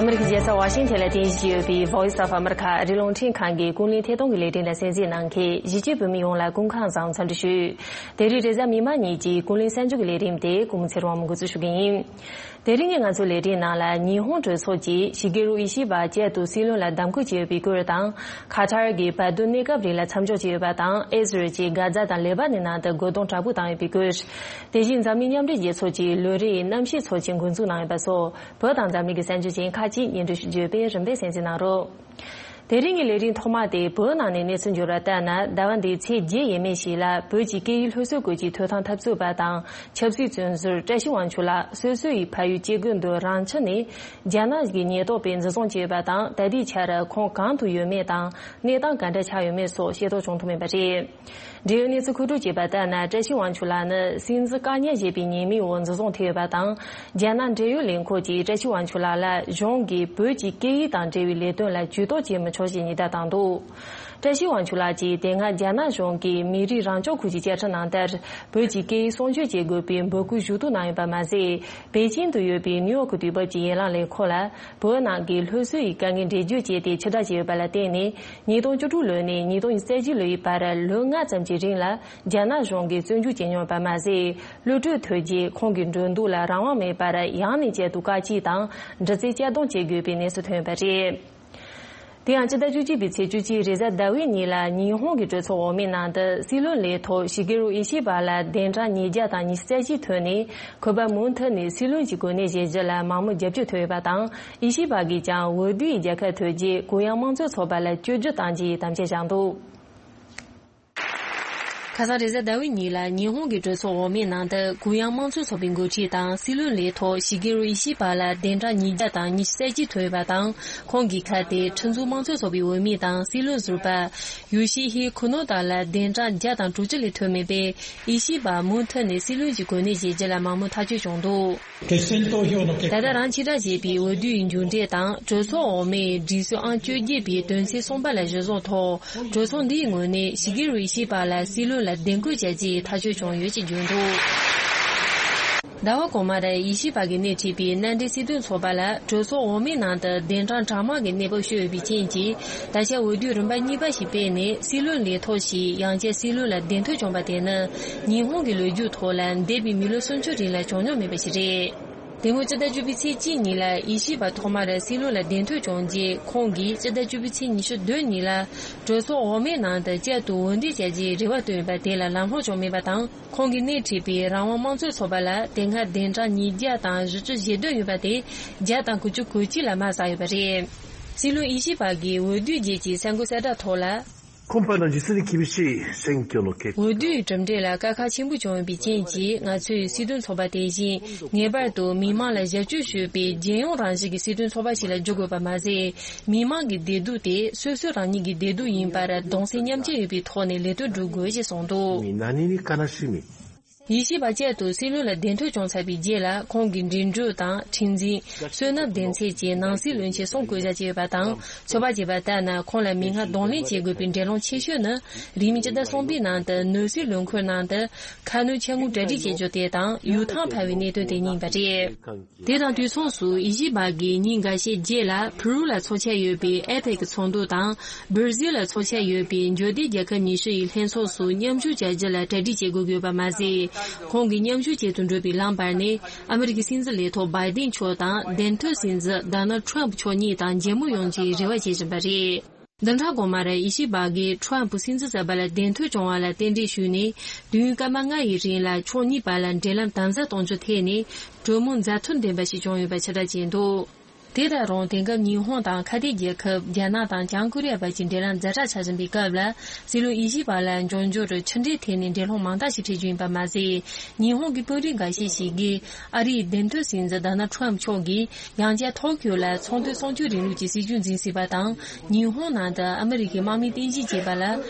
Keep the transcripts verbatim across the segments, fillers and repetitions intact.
ཨ་མི་རི་ཀའི་རྒྱལ་ས་ཝ་ཤིང་ཐན་ལ་རྟེན་གཞི་བྱས་ཡོད་པའི་Voice of America ཨ་རིའི་རླུང་འཕྲིན་ཁང་གི་ཀུན་གླེང་ཐད་གཏོང་གི་ལས་རིམ་ལ་གསན་གཟིགས་གནང་མཁན་གཞིས་བྱེས་བོད་མི་ཡོངས་ལ་སྐུ་ཁམས་བཟང་འཚམས་འདྲི་ཞུ། དེ་རིང་རེས་གཟའ་མིག་དམར་ཉིན་གྱི་ཀུན་གླེང་གསར་འགྱུར་གྱི་ལས་རིམ་དེ་ཀུན་མོ་ཚེ་རིང་མ་འགོ་འཛུགས་ཞུ་གི་ཡིན། དེ་རིང་གི་ང་ཚོའི་ལས་རིམ་ནང་ལ་ཉི་ཧོང་གྲོས་ཚོགས་ཀྱིས་ཤི་གེ་རུ་ཨི་ཤི་བ་བསྐྱར་དུ་སྲིད་བློན་ལ་གདམ་བསྐོ་བྱས་ཡོད་པའི་སྐོར་དང་། ཁ་ཐར་གྱི་བར་དོའི་གནས་སྐབས་རིང་ལ་མཚམས་འཇོག་བྱས་ཡོད་པ་དང་། ཨི་ཟི་རལ་གྱིས་གྷ་ཛ་དང་ལེ་པ་ནན་ནང་དུ་རྒོལ་རྡུང་དྲག་པོ་བཏང་ཡོད་པའི་སྐོར། དེ་བཞིན་འཛམ་གླིང་མཉམ་འབྲེལ་རྒྱལ་ཚོགས་ཀྱིས་ལོ་རེའི་གནམ་གཤིས་ཚོགས་ཆེན་འགོ་འཛུགས་གནང་ཡོད་པ་སོགས་བོད་དང་འཛམ་གླིང་གི་གསར་འགྱུར་ཅན་ཁག་ཅིག་སྙན་སྒྲོན་ཞུ་རྒྱུ་ཡོད་པས་རིམ་པས་གསན་གཟིགས་གནང་རོགས། དེ་རིང་གི་ལས་རིམ་ཐོག་མ་དེ་བོད་ནང་ནས་གནས་ཚུལ་འབྱོར་བ་ལྟར་ན། ཟླ་བ་འདིའི་ཚེས་བརྒྱད་ཡས་མས་ཤིག་ལ་བོད་ཀྱི་སྐད་ཡིག་སློབ་གསོའི་སྐོར་གྱི་ཐོས་ཐང་འཐབ་རྩོད་པ་དང་ཆབ་སྲིད་བཙོན་ཟུར་བཀྲ་ཤིས་དབང་ཕྱུག་ལགས་སོ་སོ་ཡི་ཕ་ཡུལ་སྐྱེ་རྒུ་མདོ་རང་ཆུ་ནས་རྒྱ་ནག་གི་ཉེན་རྟོག་པས་འཛིན་བཟུང་བྱས་ཡོད་པ་དང་། ད་ལྟའི་ཆར་ཁོང་གང་དུ་ཡོད་མེད་དང་གནས་སྟངས་ག་འདྲ་ཆགས་ཡོད་མེད་སོགས་ཤེས་རྟོགས་བྱུང་ཐུབ་མེད་པ་རེད། འབྲེལ་ཡོད་གནས་ཚུལ་མཁོ་སྒྲུབ་བྱས་པ་ལྟར་ན། བཀྲ་ཤིས་དབང་ཕྱུག་ལགས་ནི་སྲིད་འཛིན་བཀག་ཉར་བྱས་པའི་ཉེས་མིང་འོག་འཛིན་བཟུང་ཐེབས་ཡོད་པ་དང་། རྒྱ་ནག་འབྲེལ་ཡོད་ལས་ཁུངས་ཀྱིས་བཀྲ་ཤིས་དབང་ཕྱུག་ལགས་ལ་གཞུང་གིས་བོད་ཀྱི་སྐད་ཡིག་དང་འབྲེལ་བའི་ལས་དོན་ལ་ཇུས་གཏོགས་བྱེད་མི་ཆོག་ཅེས་ཉེས་བརྡ་བཏང་འདུག་བཀྲ་ཤིས་དབང་ཕྱུག་ལགས་ཀྱིས་དེ་སྔ་རྒྱ་ནག་གཞུང་གིས་མི་རིགས་རང་སྐྱོང་ཁུལ་གྱི་བཅའ་ཁྲིམས་ནང་ལྟར། བོད་ཀྱི་སྐད་ཡིག་སྲུང་སྐྱོབ་བྱེད་དགོས་པའི་འབོད་སྐུལ་ཞུ་གཏུག་གནང་ཡོད་པ་མ་ཟད། པེ་ཅིང་དུ་ཡོད་པའི་ནིའུ་ཡོག་གི་དུས་བབ་ཀྱི་ཡན་ལག་ལས་ཁུངས་ལ། བོད་ནང་གི་སློབ་གསོ་ཡི་དཀའ་ངལ་འགྲེལ་བརྗོད་བྱས་ཏེ་ཕྱིར་བསྒྲགས་བྱས་ཡོད་པ་ལ་བརྟེན་ནས། ཉིས་སྟོང་བཅུ་དྲུག་ལོ་ནས་ཉིས་སྟོང་ཉི་ཤུ་རྩ་གཅིག་ལོའི་བར་ལོ་ལྔ་ཙམ་གྱི་རིང་ལ་རྒྱ་ནག་གཞུང་གིས་བཙོན་འཇུག་བྱས་མྱོང་བ་མ་ཟད། གློད་གྲོལ་ཐོབ་རྗེས་ཁོང་གི་འགྲོ་འདུག་ལ་རང་དབང་མེད་པར་ཡང་ནས་བསྐྱར་དུ་བཀག་སྐྱིལ་དང་། འདྲི་རྩད་གཅར་རྡུང་བྱེད་དགོས་པའི་གནས་ཚུལ་ཐོན་ཡོད་པ་རེད། དེ་ཡང་སྤྱི་ཟླ་བཅུ་གཅིག་པའི་ཚེས་བཅུ་གཅིག་རེས་གཟའ་ཟླ་བའི་ཉིན་ལ་ཉི་ཧོང་གི་གྲོས་ཚོགས་འོག་མའི་ནང་དུ་སྲིད་བློན་ལས་ཐོག་ཤི་གེ་རུ་ཨི་ཤི་བ་ལ་གདན་གྲངས་ཉིས་བརྒྱ་དང་ཉི་ཤུ་རྩ་གཅིག་ཐོན་ནས། ཁོ་པ་མུ་མཐུད་ནས་སྲིད་བློན་གྱི་གོ་གནས་བཞེས་རྒྱུ་ལ་མང་མོས་རྒྱབ་སྐྱོར་ཐོབ་ཡོད་པ་དང་། ཨི་ཤི་བ་གིས་ཀྱང་འོས་བསྡུའི་རྒྱལ་ཁ་ཐོབ་རྗེས་གུ་ཡངས་དམངས་གཙོའི་ཚོགས་པ་ལ་བཅོས་བསྒྱུར་བཏང་རྒྱུའི་དམ་བཅའ་བཞག་འདུག་ཁ་སང་རེས་གཟའ་ཟླ་བའི་ཉིན་ལ་ཉི་ཧོང་གི་གྲོས་ཚོགས་འོག་མའི་ནང་དུ་གུ་ཡངས་དམངས་གཙོའི་ཚོགས་པའི་འགོ་ཁྲིད་དང་སྲིད་བློན་ལས་ཐོག་ཤི་གེ་རུ་ཨི་ཤི་བ་ལ་གདན་གྲངས་ཉིས་བརྒྱ་དང་ཉི་ཤུ་རྩ་གཅིག་ཐོན་ཡོད་པ་དང་། ཁོང་གི་ཁ་དེ་ཁྲིམས་བཟོ་དམངས་གཙོའི་ཚོགས་པའི་འོས་མི་དང་སྲིད་བློན་ཟུར་པ་ཡོ་ཤི་ཧི་ཁུ་ནོ་ད་ལ་གདན་གྲངས་བརྒྱ་དང་དྲུག་ཅུ་ལས་ཐོན་མེད་པས། ཨི་ཤི་བ་མུ་མཐུད་ནས་སྲིད་བློན་གྱི་གོ་གནས་བཞེས་རྒྱུ་ལ་མང་མོས་ཐག་གཅོད་བྱུང་འདུག་ད་ལྟ་རང་ཕྱིར་བསྒྲགས་བྱས་པའི་འོས་བསྡུའི་མཇུག་འབྲས་དང་གྲོས་ཚོགས་འོག་མའི་སྒྲིག་སྲོལ་ཨང་བཅོ་བརྒྱད་པའི་དོན་ཚན་གསུམ་པ་ལ་གཞི་བཟུང་ཐོག་གྲོས་ཚོགས་འདིའི་ངོས་ནས་ཤི་གེ་རུ་ཨི་ཤི་བ་ལ་སྲིད་བློན་ལ་གདན་འཁོད་བྱ་རྒྱུའི་ཐག་གཅོད་བྱུང་ཡོད་ཅེས་བརྗོད་འདུག་ཟླ་བ་གོང་མར་ཨི་ཤི་བ་གིས་སྣེ་ཁྲིད་པའི་མནའ་འབྲེལ་སྲིད་དོན་ཚོགས་པ་ལ་གྲོས་ཚོགས་འོག་མའི་ནང་དུ་གདན་གྲངས་གྲངས་མང་གི་གནས་བབ་ཤོར་ཡོད་པའི་རྐྱེན་གྱིས། ད་ཆ་འོས་བསྡུའི་རིམ་པ་གཉིས་པ་ཞིག་སྤེལ་ནས་སྲིད་བློན་ལས་ཐོག་ཞིག་ཡང་བསྐྱར་སྲིད་བློན་ལ་གདན་འཐོན་བྱུང་བ་དེ་ནི་ཉི་ཧོང་གི་ལོ་རྒྱུས་ཐོག་ལ་འདས་པའི་མི་ལོ་སུམ་ཅུ་རིང་ལ་བྱུང་མྱོང་མེད་པ་ཞིག་རེད། དེ་སྔོན་སྤྱི་ཟླ་བཅུ་པའི་ཚེས་གཅིག་ཉིན་ལ་ཨི་ཤི་བ་ཐོག་མར་སྲིད་བློན་ལ་གདན་འཐོན་བྱུང་རྗེས། ཁོང་གིས་སྤྱི་ཟླ་བཅུ་པའི་ཚེས་ཉི་ཤུ་བདུན་ཉིན་ལ་གྲོས་ཚོགས་འོག་མའི་ནང་དུ་བསྐྱར་དུ་འོས་འདེམས་བྱ་རྒྱུའི་རེ་བ་བཏོན་ཡོད་པ་དེ་ལ་ལམ་ལྷོང་བྱུང་མེད་པ་དང་། ཁོང་གིས་སྣེ་ཁྲིད་པའི་རང་དབང་དམངས་གཙོའི་ཚོགས་པ་ལ་དེ་སྔ་གདན་གྲངས་ཉིས་བརྒྱ་དང་བཞི་བཅུ་ཞེ་བདུན་ཡོད་པ་དེ་བརྒྱ་དང་དགུ་བཅུ་གོ་གཅིག་ལ་མར་ཟགས་ཡོད་པ་རེད། སྲིད་བློན་ཨི་ཤི་བ་གིས་འོས་བསྡུའི་རྗེས་ཀྱི་གསར་འགོད་གསལ་བསྒྲགས་ཐོག་ལ། 今回の実に厳しい選挙の結果 འོས་བསྡུའི་གྲུབ་འབྲས་ལ་དཀའ་ཁག་ཆེན་པོ་བྱུང་ཡོད་པའི་རྐྱེན་གྱིས། ང་ཚོས་སྲིད་དོན་ཚོགས་པ་དེ་བཞིན་ངེས་པར་དུ་མི་མང་ལ་ཞབས་ཕྱི་ཞུ་བའི་རྒྱལ་ཡོངས་རང་བཞིན་གྱི་སྲིད་དོན་ཚོགས་པ་ཞིག་ལ་འགྱུར་དགོས་པ་མ་ཟད། མི་མང་གི་བདེ་སྡུག་དེ་སོ་སོ་རང་ཉིད་ཀྱི་བདེ་སྡུག་ཡིན་པར་གདུང་སེམས་མཉམ་སྐྱེད་ཡོད་པའི་ཐོག་ནས་ལས་དོན་སྒྲུབ་དགོས་ཞེས་གསུངས་འདུག 何に悲しみ ཡེ་ཤུ་པ་བཅས་དུ་སྲིད་བློན་ལ་གདན་འཐོན་བྱུང་ཚར་བའི་རྗེས་ལ། ཁོང་གི་འགྲིམ་འགྲུལ་དང་ཁྲིམས་འཛིན། བསོད་ནམས་ལྡན་ཚད་ཀྱི་ནང་སྲིད་བློན་ཆེན་གསུམ་བསྐོ་བཞག་བྱས་ཡོད་པ་དང་། ཚོད་དཔག་བྱས་པ་ལྟར་ན། ཁོང་ལ་མི་སྣ་གདོང་ལེན་བྱེད་དགོས་པའི་འགྲན་སློང་ཆེ་ཤོས་ནི། རིང་མིན་སྤྱི་ཟླ་གསུམ་པའི་ནང་དུ་ནོར་སྲིད་བློན་ཁོངས་ནང་དུ་ཁ་སྣོན་ཆེན་མོ་གྲ་སྒྲིག་བྱེད་རྒྱུ་དེ་དང་། ཡུག་ཐང་འཕར་བའི་གནད་དོན་དེ་གཉིས་ཡིན་པ་རེད། དེ་དང་དུས་མཚུངས་སུ། ཡེ་ཤུ་པ་གིས་ཉིན་འགའ་ཤས་རྗེས་ལ་ཕུ་རུ་ལ་འཚོགས་འཆར་ཡོད་པའི་ཨེ་པེག་ཚོགས་འདུ་དང་། སྦིར་ཟིལ་ལ་འཚོགས་འཆར་ཡོད་པའི་འབྱོར་ལྡན་རྒྱལ་ཁབ་ཉི་ཤུ་ཡི་ལྷན་ཚོགས་སུ་མཉམ་ཞུགས་བྱ་རྒྱུ་ལ་གྲ་སྒྲིག་བྱེད་དགོས་ཀྱི་ཡོད་པ་མ་ཟད། ཁོང་གིས་མཉམ་ཞུགས་བྱེད་དུ་འགྲོ་བའི་ལམ་བར་ནས། ཨ་མི་རི་ཀའི་སྲིད་འཛིན་ལས་ཐོག་བྷའི་ཏིན་མཆོག་དང་། གདན་ཐོན་སྲིད་འཛིན་ཌོ་ནལ་ཌི་ཊརམ་ཕི་མཆོག་གཉིས་དང་མཇལ་མོ་ཡོང་རྒྱུའི་རེ་བ་བྱེད་བཞིན་པ་རེད། བདུན་ཕྲག་གོང་མར་ཡེ་ཤུ་པ་གིས་ཊརམ་ཕི་སྲིད་འཛིན་གསར་པ་ལ་གདན་ཐོན་བྱུང་བ་ལ་རྟེན་འབྲེལ་ཞུས་ནས། དུས་ཡུན་སྐར་མ་ལྔ་ཡི་རིང་ལ་ཕྱོགས་གཉིས་བར་ལ་འབྲེལ་ལམ་དམ་ཟབ་གཏོང་རྒྱུ་ཐད་ནས་གྲོས་མོལ་མཛའ་མཐུན་ལྡན་པ་ཞིག་བྱུང་ཡོད་པ་ཕྱིར་བསྒྲགས་བྱས་འདུག་དེ་ལྟར་རུང་། དེང་སྐབས་ཉི་ཧོང་དང་ཁ་གཏད་རྒྱལ་ཁབ་རྒྱ་ནག་དང་བྱང་ཀོ་རི་ཡ་བར་གྱི་འབྲེལ་ལམ་ཛ་དྲག་ཆགས་བཞིན་པའི་སྐབས་ལ། སྲིད་བློན་ཡེ་ཤུ་པ་ལ་འབྱུང་འགྱུར་ཕྱི་འབྲེལ་ཐད་ནས་འབྲེལ་ལྷོངས་མང་དག་ཞིག་འཕྲད་རྒྱུ་ཡིན་པ་མ་ཟད། ཉི་ཧོང་གི་དཔོན་རིགས་འགའ་ཤས་ཤིག་གིས་ཨ་རིའི་གདན་ཐོན་སྲིད་འཛིན་ཌོ་ནལ་ཌི་ཊརམ་ཕི་མཆོག་གིས་ཡང་བསྐྱར་ཐོ་ཀྱོ་ལ་ཚོང་དོན་གསུམ་བཅུའི་རིང་ལུགས་ཀྱི་སྲིད་ཇུས་འཛིན་སྲིད་པ་དང་། ཉི་ཧོང་ནང་དུ་ཨ་མི་རི་ཀའི་དམག་མི་རྟེན་གཞི་བྱས་པ་ལ་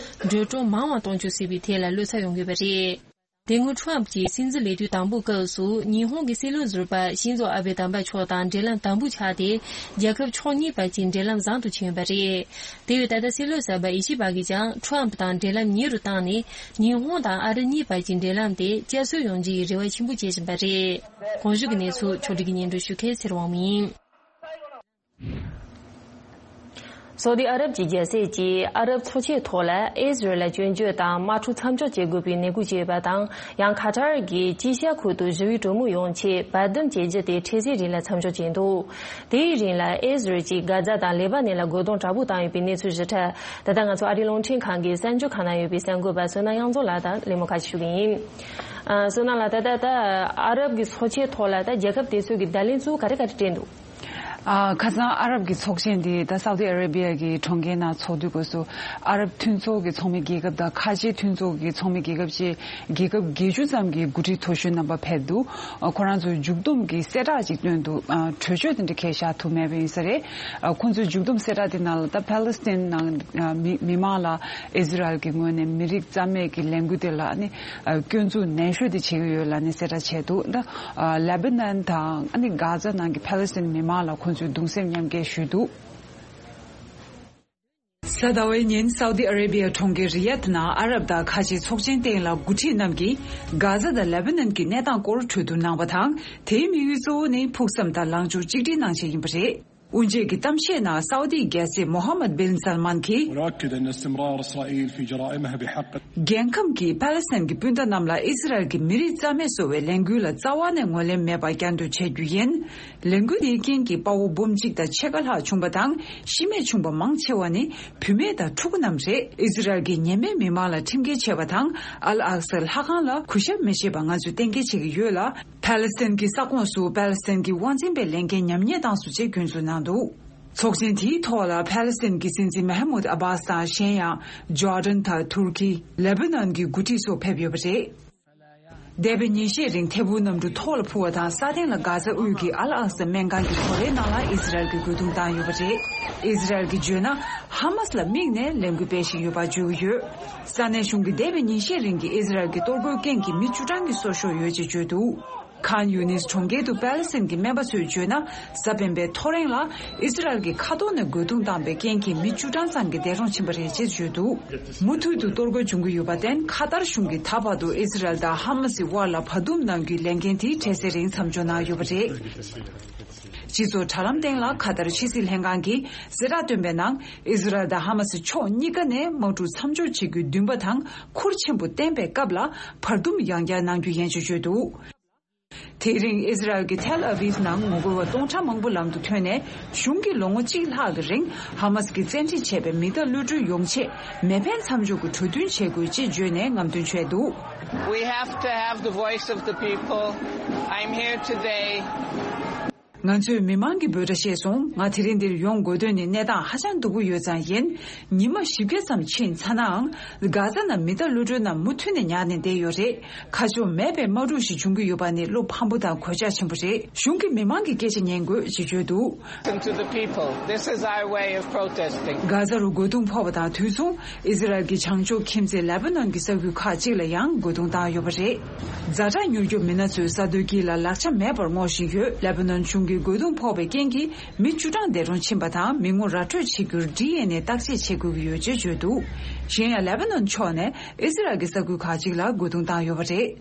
འགྲོ་གྲོན་མང་བ་གཏོང་བཅུག་སྲིད་པའི་ཐད་ལ་བློ་འཚབ་ཡོང་གི་ཡོད་པ་རེད། དེ་སྔོན་ཊརམ་ཕི་གྱི་སྲིད་འཛིན་ལས་དུས་དང་པོའི་སྐབས་སུ། ཉི་ཧོང་གི་སྲིད་བློན་ཟུར་པ་ཤིན་ཛོ་ཨ་བྷེ་དམ་པ་མཆོག་དང་འབྲེལ་ལམ་དམ་པོ་ཆགས་ཏེ། རྒྱལ་ཁབ་ཕྱོགས་གཉིས་བར་གྱི་འབྲེལ་ལམ་བཟང་དུ་ཕྱིན་ཡོད་པ་རེད། དེ་བས་ད་ལྟ་སྲིད་བློན་གསར་པ་ཡེ་ཤུ་པ་གིས་ཀྱང་ཊརམ་ཕི་དང་འབྲེལ་ལམ་ཉེ་རུ་བཏང་ནས། ཉི་ཧོང་དང་ཨ་རི་གཉིས་བར་གྱི་འབྲེལ་ལམ་དེ་བསྐྱར་གསོ་ཡོང་རྒྱུའི་རེ་བ་ཆེན་པོ་བྱེད་བཞིན་པ་རེད། གོང་ཞུས་ཀྱི་གནས་ཚུལ་ཕྱོགས་སྒྲིག་གིས་སྙན་སྒྲོན་ཞུ་མཁན་ཚེ་རིང་དབང་མོ་ཡིན། སོ་ཏི་ཨ་རབ་ཀྱི་རྒྱལ་སྲིད་ཀྱིས་ཨ་རབ་ཚོགས་ཆེན་ཐོག་ལ་ཨི་ཟི་རལ་ལ་སྐྱོན་བརྗོད་དང་དམག་འཁྲུག་མཚམས་འཇོག་བྱེད་དགོས་པའི་ནན་སྐུལ་བྱས་པ་དང་། ཡང་ཁ་ཐར་གྱིས་དཀྱིལ་ཤར་ཁུལ་དུ་ཞི་བའི་གྲོས་མོལ་ཡོང་ཆེད་བར་འདུམ་བྱེད་རྒྱུ་དེ་འཕྲལ་སེལ་རིང་ལ་མཚམས་འཇོག་བྱས་འདུག་དེའི་རིང་ལ་ཨི་ཟི་རལ་གྱིས་གྷ་ཛ་དང་ལེ་པ་ནན་ལ་རྒོལ་རྡུང་དྲག་པོ་བཏང་ཡོད་པའི་གནས་ཚུལ་ཞིབ་ཕྲ། ད་ལྟ་ང་ཚོ་ཨ་རིའི་རླུང་འཕྲིན་ཁང་གི་གསར་འགྱུར་ཁང་ནང་ཡོད་པའི་གསར་འགོད་པ་བསོད་ནམས་དབྱངས་འཛོམས་ལགས་དང་གླེང་མོལ་ཁ་ཤས་ཞུ་གི་ཡིན། ཨ། བསོད་ནམས་ལགས། ད་ལྟ་ད་ཨ་རབ་ཀྱི་ཚོགས་ཆེན་ཐོག་ལ་ད་རྒྱལ་ཁབ་དེ་ཚོ་གི་བརྡ་ལན་ཚུར་ག་རེ་ག་རེ་སྤྲད་འདུག་ཨ། ཁ་སང་ཨ་རབ་ཀྱི་ཚོགས་ཆེན་འདི་ད་སའུ་ཏི་ཨ་རེ་བི་ཡ་གི་གྲོང་ཁྱེར་ནང་ཚོགས་དུས་སྐབས་སུ། ཨ་རབ་མཐུན་ཚོགས་ཀྱི་ཚོགས་མི་རྒྱལ་ཁབ་དང་ཁ་ཆེའི་མཐུན་ཚོགས་ཀྱི་ཚོགས་མི་རྒྱལ་ཁབ་བཅས་རྒྱལ་ཁབ་བརྒྱད་ཅུ་ཙམ་གྱི་འགོ་ཁྲིད་མཐོ་ཤོས་རྣམ་པ་ཕེབས་འདུག་ཨ། ཁོ་རང་ཚོས་མཇུག་བསྡོམས་ཀྱི་གསལ་བསྒྲགས་ཅིག་བཏོན་འདུག་ཨ། གྲོས་ཆོད་དེ་འདྲ་གང་ཡང་བཞག་ཐུབ་མེད་པ་ཡིན་ས་རེད། ཨ། ཁོང་ཚོའི་མཇུག་བསྡོམས་གསལ་བསྒྲགས་དེ་ནང་ལ་ད་ཕཱ་ལེ་སི་ཐན་ནང་། ཨ། མི་མི་མང་ལ་ཨི་ཟི་རལ་གྱི་ངོས་ནས་མི་རིགས་རྩ་མེད་ཀྱི་ལས་འགུལ་དེ་ལ་ནི། ཨ། སྐྱོན་འཛུགས་ནན་ཤོས་དེ་བྱེད་ཀྱི་ཡོད་ལབ་ནས་གསལ་བསྒྲགས་བྱས་འདུག་ད། ཨ། ལེ་བྷ་ནན་དང་ཨ་ནི་གྷ་ཛ་ནང་གི་ཕཱ་ལེ་སི་ཐན་མི་མང་ལ་ཁོང་ཚོས་གདུང་སེམས་མཉམ་སྐྱེད་ཞུས་འདུག་གཟའ་ཟླ་བའི་ཉིན་སའུ་ཏི་ཨ་རེ་བི་ཡ་གྲོང་ཁྱེར་རི་ཡད་ནང་ཨ་རབ་དང་ཁ་ཆེའི་ཚོགས་ཆེན་སྟེང་ལ་འགོ་ཁྲིད་རྣམས་ཀྱིས་གྷ་ཛ་དང་ལེ་བྷ་ནན་གྱི་གནས་སྟངས་སྐོར་གྲོས་བསྡུར་གནང་བ་དང་། དེའི་དམིགས་ཡུལ་གཙོ་བོ་ནི་ཕུགས་བསམ་དང་ལངས་ཕྱོགས་གཅིག་སྒྲིལ་གནང་ཆེད་ཡིན་པ་རེད། དབུ་འབྱེད་ཀྱི་གཏམ་བཤད་ནང་སའུ་ཏིའི་རྒྱལ་སྲས་མོ་ཧམ་མད་བིན་སལ་མན་གྱིས། ونؤكد أن استمرار إسرائيل في جرائمها بحق. རྒྱལ་ཁམས་ཀྱི་ཕཱ་ལེ་སི་ཐན་གྱི་སྤུན་ཟླ་རྣམས་ལ་ཨི་ཟི་རལ་གྱི་མི་རིགས་རྩ་མེད་བཟོ་བའི་ལས་འགུལ་ལ་རྩ་བ་ནས་ངོས་ལེན་མེད་པ་བསྐྱར་ཟློས་བྱ་རྒྱུ་ཡིན། ལས་འགུལ་དེའི་རྐྱེན་གྱིས་དཔའ་བོ་འབུམ་གཅིག་དང་ཕྱེད་ཀ་ལྷག་བྱུང་བ་དང་། ཤི་རྨས་བྱུང་བ་མང་ཆེ་བ་ནི་བུད་མེད་དང་ཕྲུ་གུ་རྣམས་རེད། ཨི་ཟི་རལ་གྱིས་ཉེས་མེད་མི་མང་ལ་ཁྲིམས་འགལ་བྱས་པ་དང་། ཨལ་ཨག་སའི་ལྷ་ཁང་ལ་གུས་ཞབས་མི་བྱེད་པ་ང་ཚོས་གཏན་འཁེལ་བྱེད་ཀྱི་ཡོད་ལ། ཕཱ་ལེ་སི་ཐན་གྱི་ས་ཁོངས་སུ་ཕཱ་ལེ་སི་ཐན་གྱི་དབང་འཛིན་པའི་ལས་འགན་ཉམས་ཉེས་བཏང་སོང་ཅེས་སྐྱོན་འཛུགས་གནང་འདུག་ཚོགས་ཆེན་དེའི་ཐོག་ལ་ཕཱ་ལེ་སི་ཐན་གྱི་སྲིད་འཛིན་མེ་ཧ་མུད་ཨ་བྷ་སི་དང་། གཞན་ཡང་། ཇོར་ཌན་དང་ཐུར་ཀི། ལེ་བྷ་ནན་གྱི་འགོ་ཁྲིད་སོགས་ཕེབས་ཡོད་པ་རེད། འདས་པའི་ཉིན་ཤས་རིང་ཐད་འཕུར་གནམ་གྲུ་ཐོག་ལ་འཕུར་བ་དང་། ས་སྟེང་ལ་གྷ་ཛ་དབུས་ཀྱི་ཨལ་ཨག་ས་སྨན་ཁང་གི་ཐོ་རེའི་ནང་ལ་ཨི་ཟི་རལ་གྱིས་རྒོལ་རྡུང་བཏང་ཡོད་པ་རེད། ཨི་ཟི་རལ་གྱིས་བརྗོད་ན། ཧ་མ་སི་ལ་དམིགས་ནས་ལས་འགུལ་སྤེལ་བཞིན་ཡོད་པ་བརྗོད་ཀྱི་ཡོད། ས་གནས་གཞུང་གིས་འདས་པའི་ཉིན་ཤས་རིང་གི་ཨི་ཟི་རལ་གྱི་གཏོར་རྒོལ་རྐྱེན་གྱིས་མི་བཅུ་གྲངས་ཀྱི་སྲོག་ཤོར་ཡོད་ཅེས་བརྗོད་འདུག་ཁཱན་ཡུ་ནིས་གྲོང་ཁྱེར་དུ་པཱ་ལེ་སི་ཐན་གྱི་སྨན་པ་ཚོས་བརྗོད་ན། གཟའ་སྤེན་པའི་ཐོ་རེངས་ལ་ཨི་ཟི་རལ་གྱི་མཁའ་ཐོག་ནས་རྒོལ་རྡུང་བཏང་པའི་རྐྱེན་གྱིས་མི་བཅུ་གྲངས་ཙམ་གྱིས་འདས་གྲོངས་ཕྱིན་པ་རེད་ཅེས་བརྗོད་འདུག་མུ་མཐུད་དུ་གཏོར་རྒོལ་འབྱུང་གི་ཡོད་པར་བརྟེན། ཁ་ཏར་གཞུང་གིས་ད་བར་དུ་ཨི་ཟི་རལ་དང་ཧ་མ་སི་དབར་ལ་བར་འདུམ་གནང་རྒྱུའི་ལས་འགན་དེ་འཕྲལ་སེལ་རིང་མཚམས་འཇོག་གནང་ཡོད་པ་རེད། སྤྱི་ཚོགས་དྲ་ལམ་སྟེང་ལ་ཁ་ཏར་ཕྱི་སྲིད་ལྷན་ཁང་གིས་གསལ་བསྒྲགས་བཏོན་པའི་ནང་། ཨི་ཟི་རལ་དང་ཧ་མ་སི་ཕྱོགས་གཉིས་ཀ་ནས་དམག་འཁྲུག་མཚམས་འཇོག་བྱེད་རྒྱུའི་འདུན་པ་དང་ཁུར་ཆེན་པོ་བསྟན་པའི་སྐབས་ལ་བར་འདུམ་ཡང་བསྐྱར་གནང་རྒྱུ་ཡིན་ཅེས་བརྗོད་འདུག་དེ་རིང་ཨི་ཟི་རལ་གྱི་ཐེལ་ཨ་བིབ་ནང་ངོ་རྒོལ་བ་སྟོང་ཕྲག་མང་པོ་ལམ་དུ་ཐོན་ནས། གཞུང་གིས་ལོ་ངོ་གཅིག་ལྷག་གི་རིང་ཧ་མ་སི་གིས་བཙན་ཁྲིད་བྱས་པའི་མི་གཏའ་གློད་གྲོལ་ཡོང་ཆེད་མེ་འཕེན་མཚམས་འཇོག་གི་གྲོས་མཐུན་བྱེད་དགོས་ཅེས་བརྗོད་ནས་རྔམ་སྟོན་བྱས་འདུག We have to have the voice of the people. I'm here today. ང་ཚོས་མི་མང་གི་འབོད་སྒྲ་ཤེས་སོང་། ང་དེ་རིང་འདིར་ཡོང་དགོས་དོན་ནི་གནས་སྟངས་ཧ་ཅང་སྡུག་པོ་ཡོད་ཙང་ཡིན། ཉི་མ་བཞི་བརྒྱ་ཙམ་ཕྱིན་ཚར་ནའང་། གྷ་ཛ་ནང་མི་གཏའ་གློད་གྲོལ་རྣམས་མུ་མཐུད་ནས་ཉར་ནས་བསྡད་ཡོད་རེད། ཁ་ཕྱོགས་མེད་པའི་དམག་འཁྲུག་ཞིག་འབྱུང་གི་ཡོད་པ་ནི་བློ་ཕམ་པོ་དང་གོད་ཆག་ཆེན་པོ་རེད། གཞུང་གིས་མི་མང་གི་སྐད་ཆ་ཉན་དགོས་ཅེས་བརྗོད་འདུག Listen to the people. This is our way of protesting. གྷ་ཛ་རུ་རྒོལ་རྡུང་ཕོག་པ་དང་དུས་མཚུངས། ཨི་ཟི་རལ་གྱི་བྱང་ཕྱོགས་ཁྱིམ་མཚེས་ལེ་པ་ནོན་གྱི་ས་ཁུལ་ཁག་ཅིག་ལ་ཡང་རྒོལ་རྡུང་བཏང་ཡོད་པ་རེད། ཛ་དྲག་མྱུར་སྐྱོབ་མི་སྣ་ཚོས་ས་རྡོའི་དཀྱིལ་ལ་ལག་ཆ་མེད་པར་སྔོག་བཞིན་ཡོད། ལེ་པ་ནོན་གཞུང་གིས་རྒོལ་རྡུང་ཕོག་པའི་རྐྱེན་གྱིས་མི་བཅུ་གྲངས་འདས་གྲོངས་ཕྱིན་པ་དང་། མི་ངོ་ར་སྤྲོད་བྱེད་རྒྱུར་ཌི་ཨེན་ཨེ་བརྟག་དཔྱད་བྱེད་དགོས་ཀྱི་ཡོད་ཅེས་བརྗོད་འདུག་གཞན་ཡང་། ལེ་པ་ནོན་ཕྱོགས་ནས་ཨི་ཟི་རལ་གྱི་ས་ཁུལ་ཁག་ཅིག་ལ་རྒོལ་རྡུང་བཏང་ཡོད་པ་རེད།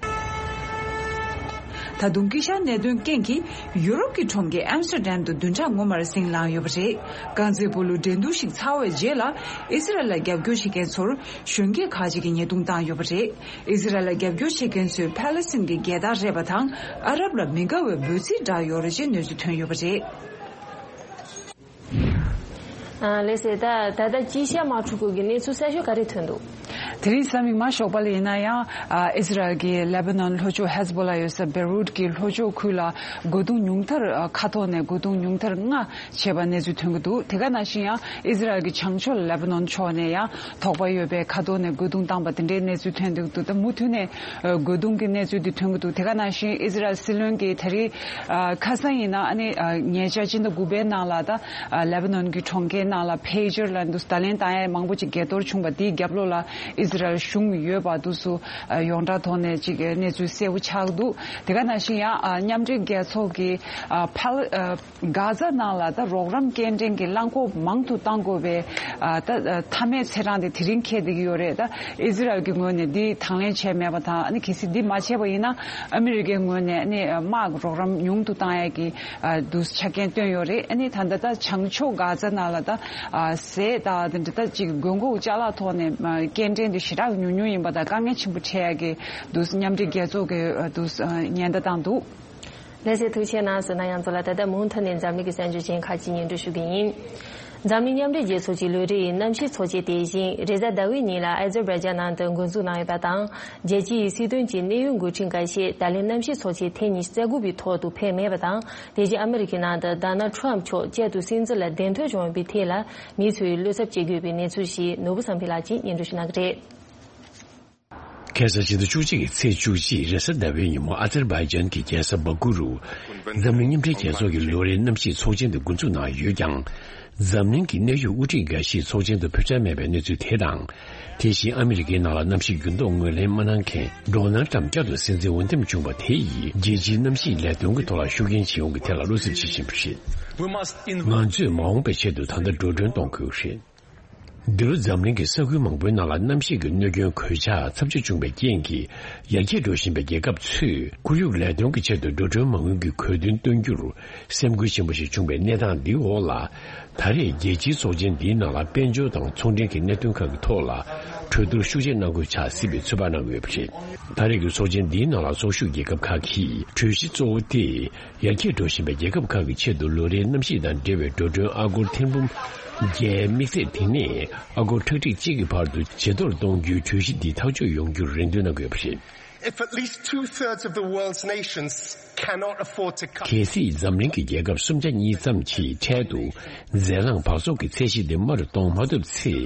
ད་དུང་དཀྱིལ་ཤར་གནད་དོན་རྐྱེན་གྱིས་ཡུ་རོབ་ཀྱི་གྲོང་ཁྱེར་ཨེམ་སི་ཊར་ཌམ་དུ་བདུན་ཕྲག་སྔོན་མར་ཟིང་ལངས་ཡོད་པ་རེད། རྐང་རྩེད་སྤོ་ལོའི་འགྲན་བསྡུར་ཞིག་ཚར་བའི་རྗེས་ལ། ཨི་ཟི་རལ་ལ་རྒྱབ་སྐྱོར་བྱེད་མཁན་ཚོར་གཞོན་སྐྱེས་ཁག་ཅིག་གིས་ཉེས་རྡུང་བཏང་ཡོད་པ་རེད། ཨི་ཟི་རལ་ལ་རྒྱབ་སྐྱོར་བྱེད་མཁན་ཚོས་ཕཱ་ལེ་སི་ཐན་གྱི་རྒྱལ་དར་རེད་པ་དང་། ཨ་རབ་ལ་མི་དགའ་བའི་འབོད་ཚིག་བསྒྲགས་ཡོད་རེད་ཅེས་གནས་ཚུལ་ཐོན་ཡོད་པ་རེད། ཨ། ལགས་སེ། ད་ད་ལྟ་དཀྱིལ་ཤར་དམག་འཁྲུག་སྐོར་གྱི་གནས་ཚུལ་གསར་ཤོས་ག་རེ་ཐོན་འདུག་དེ་རིང་གཟའ་མིག་དམར་ཞོགས་པ་ལ་ཡིན་ན་ཡང་། ཨ། ཨི་ཟི་རལ་གྱིས་ལེ་པ་ནོན་ལྷོ་ཕྱོགས་ཧེ་ཛ་བྷོ་ལ་ཡོད་ས་བེ་རུད་ཀྱི་ལྷོ་ཕྱོགས་ཁུལ་ལ་རྒོལ་རྡུང་ཉུང་མཐར། ཨ། མཁའ་ཐོག་ནས་རྒོལ་རྡུང་ཉུང་མཐར་ལྔ་བྱས་པ་གནས་ཚུལ་ཐོན་གྱི་འདུག་དེ་ག་ནང་བཞིན་ཡང་ཨི་ཟི་རལ་གྱི་བྱང་ཕྱོགས་ལེ་པ་ནོན་ཕྱོགས་ནས་ཡང་དོགས་པ་ཡོད་པའི་མཁའ་ཐོག་ནས་རྒོལ་རྡུང་བཏང་པ་དེ་འདྲའི་གནས་ཚུལ་ཐོན་གྱི་འདུག་ད་མུ་མཐུད་ནས་རྒོལ་རྡུང་གི་གནས་ཚུལ་དེ་ཐོན་གྱི་འདུག་དེ་ག་ནང་བཞིན་ཨི་ཟི་རལ་སྲིད་བློན་གྱིས་ད་རེས། ཨ། ཁ་སང་ཡིན་ན་ཨ་ནི། ཨ། ཉེ་ཆར་སྤྱི་ཟླ་དགུ་པའི་ནང་ལ་ད། ཨ། ལེ་པ་ནོན་གྱི་གྲོང་ཁྱེར་ནང་ལ་ཕེ་ཇར་ལབ་འདུག་བརྡ་ལན་བཏང་ཡས་མང་པོ་ཅིག་འགས་གཏོར་བྱུང་བ་དེའི་རྒྱབ་ལོགས་ལ་ཨི་ ཨི་ཟི་རལ་གཞུང་ཡོད་པ་འདུག་སུ་ཡོངས་གྲགས་ཐོག་ནས་ཅིག་གནས་ཚུལ་གསལ་པོ་ཆགས་འདུག་དེ་ག་ནང་བཞིན་ཡང་མཉམ་འབྲེལ་རྒྱལ་ཚོགས་ཀྱི་ཕལ། གྷ་ཛ་ནང་ལ་ད་རོགས་རམ་སྐྱེལ་འདྲེན་གྱི་རླངས་འཁོར་མང་དུ་གཏང་དགོས་པའི་ཨ་ད་ཨ་མཐའ་མའི་ཚེས་གྲངས་དེ་དེ་རིང་འཁེལ་བསྡད་ཀྱི་ཡོད་རེད། ད་ཨི་ཟི་རལ་གྱི་ངོས་ནས་འདི་དང་ལེན་བྱས་མེད་པ་དང་། ཨ་ནི་གལ་སྲིད་འདི་མ་བྱས་པ་ཡིན་ན་ཨ་མི་རི་ཀའི་ངོས་ནས་ཨ་ནི་དམག་རོགས་རམ་ཉུང་དུ་བཏང་ཡས་ཀྱི་ཨ་འདུག་ཆ་རྐྱེན་བཏོན་ཡོད་རེད། ཨ་ནི་ད་ལྟ་ད་བྱང་ཕྱོགས་གྷ་ཛ་ནང་ལ་ད་ཨ་ཟས་དང་དེ་འདྲ་ད་ཅིག་དགོས་མཁོ་ཅ་ལག་ཐོག་ནས་ཨ་སྐྱེལ་འདྲེན་དེ་ཞེ་དྲག་ཉུང་ཉུང་ཡིན་པ་དང་དཀའ་ངལ་ཆེན་པོ་འཕྲད་ཡས་ཀྱི་འདུག་མཉམ་འབྲེལ་རྒྱལ་ཚོགས་ཀྱི་ཨ་འདུག་ཉེན་བརྡ་བཏང་འདུག་ལྷན་རྒྱས་ཐུགས་རྗེ་གནང་ཟེར་ན། ཡང་ཚོ་ལ་ད་ལྟ་མུ་མཐུད་ནས་འཛམ་གླིང་གི་གསར་འགྱུར་ཅན་ཁག་ཅིག་སྙན་སྒྲོན་ཞུ་གི་ཡིན། འཛམ་གླིང་མཉམ་འབྲེལ་རྒྱལ་ཚོགས་ཀྱི་ལོ་རེའི་གནམ་གཤིས་ཚོགས་ཆེན་དེ་བཞིན་རེས་གཟའ་ཟླ་བའི་ཉིན་ལ་ཨ་ཛར་བྷའི་ཇན་ནང་དུ་འགོ་འཛུགས་གནང་ཡོད་པ་དང་། རྒྱལ་སྤྱིའི་སྲིད་དོན་གྱི་གནད་ཡོད་འགོ་ཁྲིད་འགའ་ཤས་ད་ལན་གནམ་གཤིས་ཚོགས་ཆེན་ཐེངས་ཉི་ཤུ་རྩ་དགུ་པའི་ཐོག་ཏུ་ཕེབས་མེད་པ་དང་། དེ་བཞིན་ཨ་མི་རི་ཀའི་ནང་དུ་ཌོ་ནལ་ཊམ་མཆོག་བསྐྱར་དུ་སྲིད་འཛིན་ལ་གདན་ཐོན་བྱུང་ཡོད་པའི་ཐད་ལ་མི་ཚོས་བློ་འཚབ་བྱེད་དགོས་པའི་གནས་ཚུལ་ཞིག་ནོར་བུ་བསམ་འཕེལ་ལགས་ཀྱིས་སྙན་སྒྲོན་ཞུ་གནང་གི་རེད། ཁ་སང་ཕྱི་ཟླ་བཅུ་གཅིག་གི་ཚེས་བཅུ་གཅིག་རེས་གཟའ་ཟླ་བའི་ཉིན་མོ་ཨ་ཛར་བྷའི་ཇན་གྱི་རྒྱལ་ས་སྦ་ཀུ་རུ། འཛམ་གླིང་མཉམ་འབྲེལ་རྒྱལ་ཚོགས་ཀྱི་ལོ་རེའི་གནམ་གཤིས་ཚོགས་ཆེན་དུ་འགོ་འཛུགས་གནང་ཡོད་ཀྱང་། འཛམ་གླིང་གི་གནད་ཡོད་དབུ་ཁྲིད་འགའ་ཞིག་ཚོགས་ཆེན་དུ་ཕེབས་འཆར་མེད་པའི་གནས་ཚུལ་དེ་དང་། དེ་བཞིན་ཨ་མི་རི་ཀའི་ནང་ལ་གནམ་གཤིས་འགྱུར་ལྡོག་ངོས་ལེན་མ་གནང་མཁན་ཌོ་ནལ་ཊམ་བསྐྱར་དུ་སྲིད་འཛིན་འོས་འདེམས་བྱུང་བ་དེ་ཡིས་རྒྱལ་སྤྱིའི་གནམ་གཤིས་ལས་དོན་གྱི་ཐོག་ལ་ཤུགས་རྐྱེན་བྱེད་ཡོང་གི་ཐད་ལ་བློ་འཚབ་བྱེད་བཞིན་པ་རེད། ང་ཚོས་མ་འོངས་པའི་ཆེད་དུ་ད་ལྟ་འགྲོ་གྲོན་གཏོང་དགོས་རེད། འདི་ལོ་འཛམ་གླིང་གི་ས་ཁུལ་མང་པོའི་ནང་ལ་གནམ་གཤིས་ཀྱི་གནོད་སྐྱོན་གོད་ཆག་ཚབས་ཆེ་བྱུང་བའི་རྐྱེན་གྱིས། ཡར་རྒྱས་འགྲོ་བཞིན་པའི་རྒྱལ་ཁབ་ཚོས་ཁོར་ཡུག་ལས་དོན་གྱི་ཆེད་དུ་འགྲོ་གྲོན་མ་དངུལ་གྱི་དགོས་འདུན་བཏོན་རྒྱུར་སེམས་འགུལ་ཆེན་པོ་ཞིག་བྱུང་བའི་གནས་སྟངས་འདིའི་འོག་ལ། ད་རེས་རྒྱལ་སྤྱིའི་ཚོགས་ཆེན་འདིའི་ནང་ལ་དཔལ་འབྱོར་དང་ཚོང་འབྲེལ་གྱི་གནད་དོན་ཁག་གི་ཐོག་ལ་གྲོས་བསྡུར་ཤུགས་ཆེ་གནང་དགོས་ཆགས་སྲིད་པའི་ཚོད་དཔག་གནང་གི་ཡོད་པ་རེད། ད་རེས་ཀྱི་ཚོགས་ཆེན་འདིའི་ནང་ལ་ཚོགས་ཞུགས་རྒྱལ་ཁབ་ཁག་གིས་གྲོས་གཞི་གཙོ་བོ་སྟེ། ཡར་རྒྱས་འགྲོ་བཞིན་པའི་རྒྱལ་ཁབ་ཁག་གི་ཆེད་དུ་ལོ་རེའི་གནམ་གཤིས་དང་འབྲེལ་བའི་འགྲོ་གྲོན་ཨ་སྒོར་ཐེར་འབུམ་བརྒྱད། དམིགས་ཚད་དེ་ནས་ཨ་སྒོར་ཁྲག་ཁྲིག་གཅིག་གི་བར་དུ་ཇེ་མཐོར་གཏོང་རྒྱུའི་གྲོས་གཞི་འདི་ཐག་གཅོད་ཡོང་རྒྱུར་རེ་འདུན་གནང་དགོས་པ་རེད། If at least two-thirds of the world's nations cannot afford to cut གལ་སྲིད་འཛམ་གླིང་གི་རྒྱལ་ཁབ་སུམ་ཆ་གཉིས་ཙམ་གྱིས་འཕྲལ་དུ་རྫས་རླངས་འབག་བཙོག་གི་ཚད་གཞི་དེ་དམའ་རུ་གཏོང་མ་ཐུབ་ཚེ།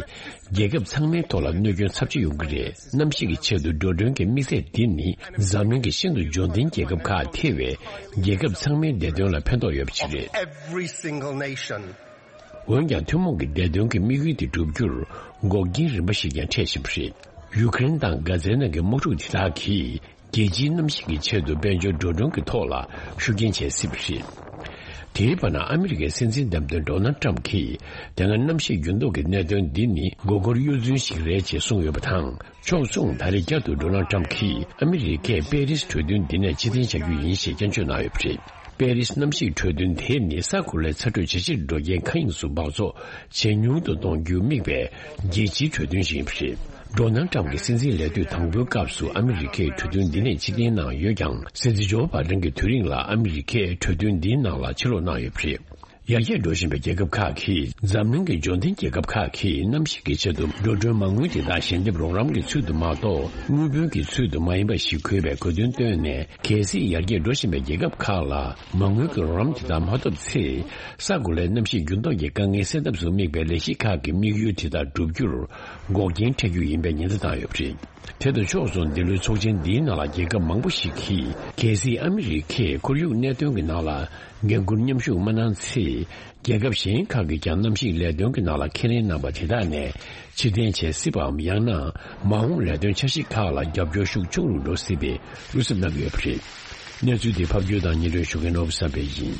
རྒྱལ་ཁབ་ཚང་མའི་ཐོག་ལ་གནོད་སྐྱོན་ཚབས་ཆེ་ཡོང་གི་རེད། གནམ་གཤིས་ཀྱི་ཆེད་དུ་འགྲོ་གྲོན་གྱི་དམིགས་ཚད་འདི་ནི་འཛམ་གླིང་གི་ཤིན་ཏུ་འབྱོར་ལྡན་རྒྱལ་ཁབ་ཁག་ཐེ་བའི་རྒྱལ་ཁབ་ཚང་མའི་བདེ་དོན་ལ་ཕན་ཐོགས་ཡོད་པ་ཞིག་རེད། Every single nation. འོན་ཀྱང་ཐུན་མོང་གི་བདེ་དོན་གྱི་དམིགས་ཡུལ་དེ་བསྒྲུབ་རྒྱུར་འགོག་རྐྱེན་རིམ་པ་ཞིག་ཀྱང་འཕྲད་བཞིན་པ་རེད། ཡུ་ཀེ་རེན་དང་གྷ་ཛའི་ནང་གི་དམག་འཁྲུག་དེ་དག་གིས། རྒྱལ་སྤྱིའི་གནམ་གཤིས་ཀྱི་ཆེད་དུ་དཔལ་འབྱོར་འགྲོ་གྲོན་གྱི་ཐོག་ལ་ཤུགས་རྐྱེན་བྱེད་སྲིད་པ་རེད། དེའི་བར་ན་ཨ་མི་རི་ཀའི་སྲིད་འཛིན་བདམས་ཐོན་ཌོ་ནལ་ཊམ་གྱིས་དེ་སྔ་གནམ་གཤིས་འགྱུར་ལྡོག་གི་གནད་དོན་འདི་ནི་མགོ་སྐོར་གཡོ་རྫུན་ཞིག་རེད་ཅེས་གསུངས་ཡོད་པ་དང་། ཕྱོགས་མཚུངས་ད་རེས་བསྐྱར་དུ་ཌོ་ནལ་ཊམ་གྱིས་ཨ་མི་རི་ཀས་པེ་རིས་གྲོས་མཐུན་འདི་ནས་ཕྱིར་འཐེན་བྱ་རྒྱུ་ཡིན་ཞེས་སྐྱོན་བརྗོད་གནང་ཡོད་པ་རེད། པེ་རིས་གནམ་གཤིས་གྲོས་མཐུན་དེ་ནི་ས་གོ་ལའི་ཚ་དྲོད་ཇེ་ཆེར་འགྲོ་རྐྱེན་མཁའ་དབྱིངས་སུ་འབག་བཙོག་ཇེ་ཉུང་དུ་གཏོང་རྒྱུར་དམིགས་པའི་རྒྱལ་སྤྱིའི་གྲོས་མཐུན་ཞིག་ཡིན་པ་རེད། ཌོ་ནལ་ཊམ་གྱི་སྲིད་འཛིན་ལས་དུས་དང་པོའི་སྐབས་སུ་ཨ་མི་རི་ཀས་གྲོས་མཐུན་འདི་ནས་ཕྱིར་འཐེན་གནང་ཡོད་ཀྱང་། སྲིད་འཛིན་ཇོ་བྷའི་ཌེན་གྱི་དུས་རིང་ལ་ཨ་མི་རི་ཀས་གྲོས་མཐུན་འདིའི་ནང་ལ་ཕྱིར་ལོག་གནང་ཡོད་པ་རེད། ཡར་རྒྱས་འགྲོ་བཞིན་པའི་རྒྱལ་ཁབ་ཁག་གིས་འཛམ་གླིང་གི་འབྱོར་ལྡན་རྒྱལ་ཁབ་ཁག་གིས་གནམ་གཤིས་ཀྱི་ཆེད་དུ་འགྲོ་གྲོན་མ་དངུལ་དེ་དག་ཞལ་འདེབས་རོགས་རམ་གྱི་ཚུལ་དུ་མ་གཏོགས་དངུལ་བུན་གྱི་ཚུལ་དུ་མ་ཡིན་པ་ཞིག་དགོས་པའི་དགོས་འདུན་བཏོན་ནས། གལ་སྲིད་ཡར་རྒྱས་འགྲོ་བཞིན་པའི་རྒྱལ་ཁབ་ཁག་ལ་མ་དངུལ་གྱི་རོགས་རམ་དེ་དག་མ་ཐོབ་ཚེ། ས་གོ་ལའི་གནམ་གཤིས་འགྱུར་ལྡོག་གི་དཀའ་ངལ་སེལ་ཐབས་སུ་དམིགས་པའི་ལས་གཞི་ཁག་གི་དམིགས་ཡུལ་དེ་དག་བསྒྲུབ་རྒྱུར་འགོག་རྐྱེན་འཕྲད་རྒྱུ་ཡིན་པའི་ཉེན་བརྡ་བཏང་ཡོད་པ་རེད། དེ་དང་ཕྱོགས་མཚུངས་འདི་ལོའི་ཚོགས་ཆེན་འདིའི་ནང་ལ་རྒྱལ་ཁབ་མང་པོ་ཞིག་གིས། གལ་སྲིད་ཨ་མི་རི་ཀས་ཁོར་ཡུག་གནད་དོན་གྱི་ནང་ལ་འགན་འཁུར་མཉམ་ཞུགས་མ་གནང་ཚེ། རྒྱལ་ཁབ་གཞན་ཁག་གིས་ཀྱང་གནམ་གཤིས་ལས་དོན་གྱི་ནང་ལ་ཁས་ལེན་གནང་པ་དེ་དག་ནས་ཕྱིར་འཐེན་བྱེད་སྲིད་པའམ། ཡང་ན་མ་འོངས་ལས་དོན་འཆར་གཞི་ཁག་ལ་རྒྱབ་སྐྱོར་ཤུགས་ཆུང་རུ་འགྲོ་སྲིད་པའི་བློ་འཚབ་གནང་གི་ཡོད་པ་རེད། གནས་ཚུལ་དེ་ཕབ་སྒྱུར་དང་སྙན་སྒྲོན་ཞུ་མཁན་ནོར་བུ་བསམ་འཕེལ་ཡིན།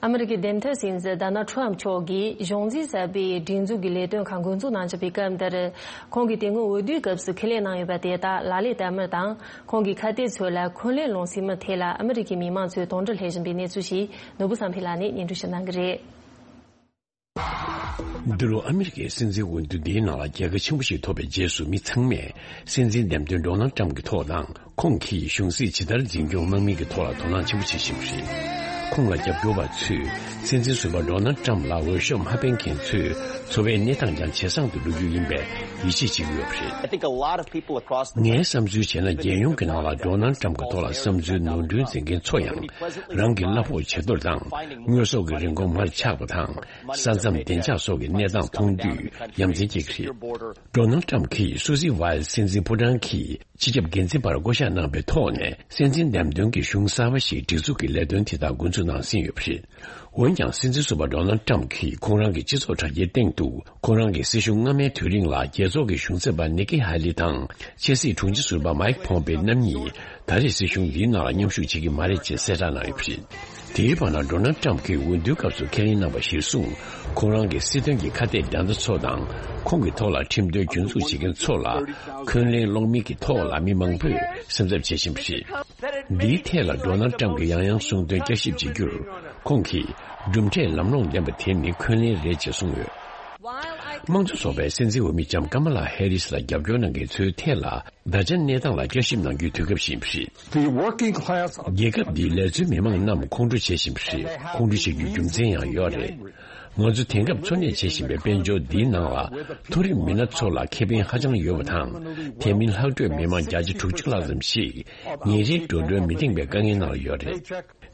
ཨ་མི་རི་ཀའི་འདེམས་ཐོན་སྲིད་འཛིན་ཌོ་ནལ་ཁྲམ་མཆོག་གིས་གཞུང་འཛིན་གསར་པའི་སྒྲིག་འཛུགས་ཀྱི་ལས་དོན་ཁག་འགོ་འཛུགས་གནང་བཞིན་པའི་སྐབས་འདིར། ཁོང་གིས་དེ་སྔོན་འོས་བསྡུའི་སྐབས་སུ་ཁས་ལེན་གནང་ཡོད་པ་དེ་དག་ལག་ལེན་བསྟར་མིན་དང་། ཁོང་གི་ཁ་གཏད་ཚོས་ལ་འཁོན་ལན་སློང་སྲིད་མིན་ཐད་ལ་ཨ་མི་རི་ཀའི་མི་མང་ཚོས་དོགས་འདྲི་སླེབས་བཞིན་པའི་གནས་ཚུལ་ཞིག་ནོར་བུ་བསམ་འཕེལ་ལགས་ནས་སྙན་སྒྲོན་ཞུ་གནང་གི་རེད། འདི་ལོ་ཨ་མི་རི་ཀའི་སྲིད་འཛིན་འོས་བསྡུ་འདིའི་ནང་ལ་རྒྱལ་ཁ་ཆེན་པོ་ཞིག་ཐོབ་པའི་རྗེས་སུ། མི་ཚང་མས་སྲིད་འཛིན་འདེམས་ཐོན་ཌོ་ནལ་ཁྲམ་གྱི་ཐོག་དང་། ཁོང་གིས་གཞུང་སྲིད་ཇི་ལྟར་འཛིན་སྐྱོང་གནང་མིན་གྱི་ཐོག་ལ་དོ་སྣང་ཆེན་པོ་བྱེད་བཞིན་པ་རེད། ཁོང་ལ་རྒྱབ་སྐྱོར་བ་ཚོས་སྲིད་འཛིན་ཟུར་པ་ཌོ་ནལ་ཁྲམ་ལ་འོས་ཤོག་མ་འཕེན་མཁན་ཚོའི་འཚོ་བའི་གནས་སྟངས་ཀྱང་ཇེ་བཟང་དུ་འགྲོ་རྒྱུ་ཡིན་པའི་ཡིད་ཆེས་བྱེད་ཀྱི་ཡོད་པ་རེད། I think a lot of people across the ངའི་བསམ་ཚུལ་བྱས་ན། རྒྱལ་ཡོངས་ཀྱི་ནང་ལ་ཌོ་ནལ་ཁྲམ་གྱི་ཐོག་ལ་བསམ་ཚུལ་ནོར་འཁྲུལ་འཛིན་མཁན་ཚོ་ཡང་། རང་གི་གླ་ཕོགས་ཇེ་མཐོར་དང་། དངོས་ཟོག་གི་རིན་གོང་མར་ཆག་པ་དང་། ས་མཚམས་བདེ་འཇགས་སོགས་ཀྱི་གནས་སྟངས་མཐོང་དུས་ཡ་མཚན་སྐྱེ་གི་རེད། ཌོ་ནལ་ཁྲམ་གྱིས་སུ་སི་ཝཱལ་སྲིད་འཛིན་ཕོ་བྲང་གི་སྤྱི་ཁྱབ་འགན་འཛིན་པར་བསྐོ་གཞག་གནང་པའི་ཐོག་ནས། སྲིད་འཛིན་འདེམས་ཐོན་གྱི་གཞུང་གསར་པ་ཞིག་སྒྲིག་འཛུགས་ཀྱི་ལས་དོན་དེ་དག་འགོ་ སུ་གནང་ཟིན་ཡོད་པ་རེད། འོན་ཀྱང་སྲིད་འཛིན་ཟུར་པ་ཌོ་ནལ་ཊམ་གྱིས་ཁོང་རང་གི་སྤྱི་ཚོགས་དྲ་རྒྱའི་སྟེང་དུ་ཁོང་རང་གི་སྲིད་གཞུང་སྔ་མའི་དུས་རིང་ལ་རྒྱལ་ཚོགས་ཀྱི་གཞུང་ཚབ་པ་ནི་ཀི་ཧ་ལི་དང་ཕྱི་སྲིད་དྲུང་ཆེ་ཟུར་པ་མའིག་ཕོམ་པེ་རྣམ་གཉིས་ད་རེས་སྲིད་གཞུང་འདིའི་ནང་ལ་མཉམ་ཞུགས་བྱེད་ཀྱི་མ་རེད་ཅེས་གསལ་བསྒྲགས་གནང་ཡོད་པ་རེད། དེའི་བར་ན་ཌོ་ནལ་ཊམ་གྱིས་འོས་བསྡུའི་སྐབས་སུ་ཁས་ལེན་གནང་བ་གཞིར་བཟུང་ཁོང་རང་གི་སྲིད་དོན་གྱི་ཁ་གཏད་འགྲན་ཟླ་ཚོ་དང་ཁོང་གི་ཐོག་ལ་ཁྲིམས་དོན་རྒྱུན་འཛུགས་བྱེད་མཁན་ཚོ་ལ་འཁོན་ལན་སློག་མིན་གྱི་ཐོག་ལ་མི་མང་པོས་སེམས་འཚབ་བྱེད་བཞིན་པ་རེད། འདིའི་ཐད་ལ་ཌོ་ནལ་ཊམ་གྱིས་ཡང་ཡང་གསུངས་དོན་བསྐྱར་ཞིབ་བྱེད་རྒྱུར་ཁོང་གིས་གྲུབ་འབྲས་ལམ་ལྷོང་ལྡན་པ་དེ་ནི་འཁོན་ལན་རེད་ཅེས་གསུངས་ཡོད། དམངས་གཙོ་ཚོགས་པའི་སྲིད་འཛིན་འོས་མི་ལྕམ་ཀ་མ་ལ་ཧེ་རིས་ལ་རྒྱབ་སྐྱོར་གནང་མཁན་ཚོའི་ཐད་ལ་ད་ཆ་གནས་སྟངས་ལ་བསྐྱར་ཞིབ་གནང་རྒྱུའི་དུས་སྐབས་ཤིག་ཡིན་པ་རེད། The working class རྒྱལ་ཁབ་འདིའི་ལས་བཟོའི་མི་མང་རྣམས་ཁོང་ཁྲོ་བྱེད་བཞིན་པ་རེད། ཁོང་ཁྲོ་བྱེད་རྒྱུའི་རྒྱུ་མཚན་ཡང་ཡོད་རེད། ང་ཚོ་དེང་སྐབས་འཚོ་གནས་བྱེད་བཞིན་པའི་དཔལ་འབྱོར་འདིའི་ནང་ལ་མཐོ་རིམ་མི་སྣ་ཚོ་ལ་ཁེ་ཕན་ཧ་ཅང་ཡོད་པ་དང་། དེ་མིན་ལྷག་འཕྲོས་མི་མང་བརྒྱ་ཆ་དྲུག་ཅུ་ལྷག་ཙམ་ཞིག་ཉིན་རེའི་འགྲོ་གྲོན་མི་ལྡེང་བའི་དཀའ་ངལ་ནང་ལ་ཡོད་རེད།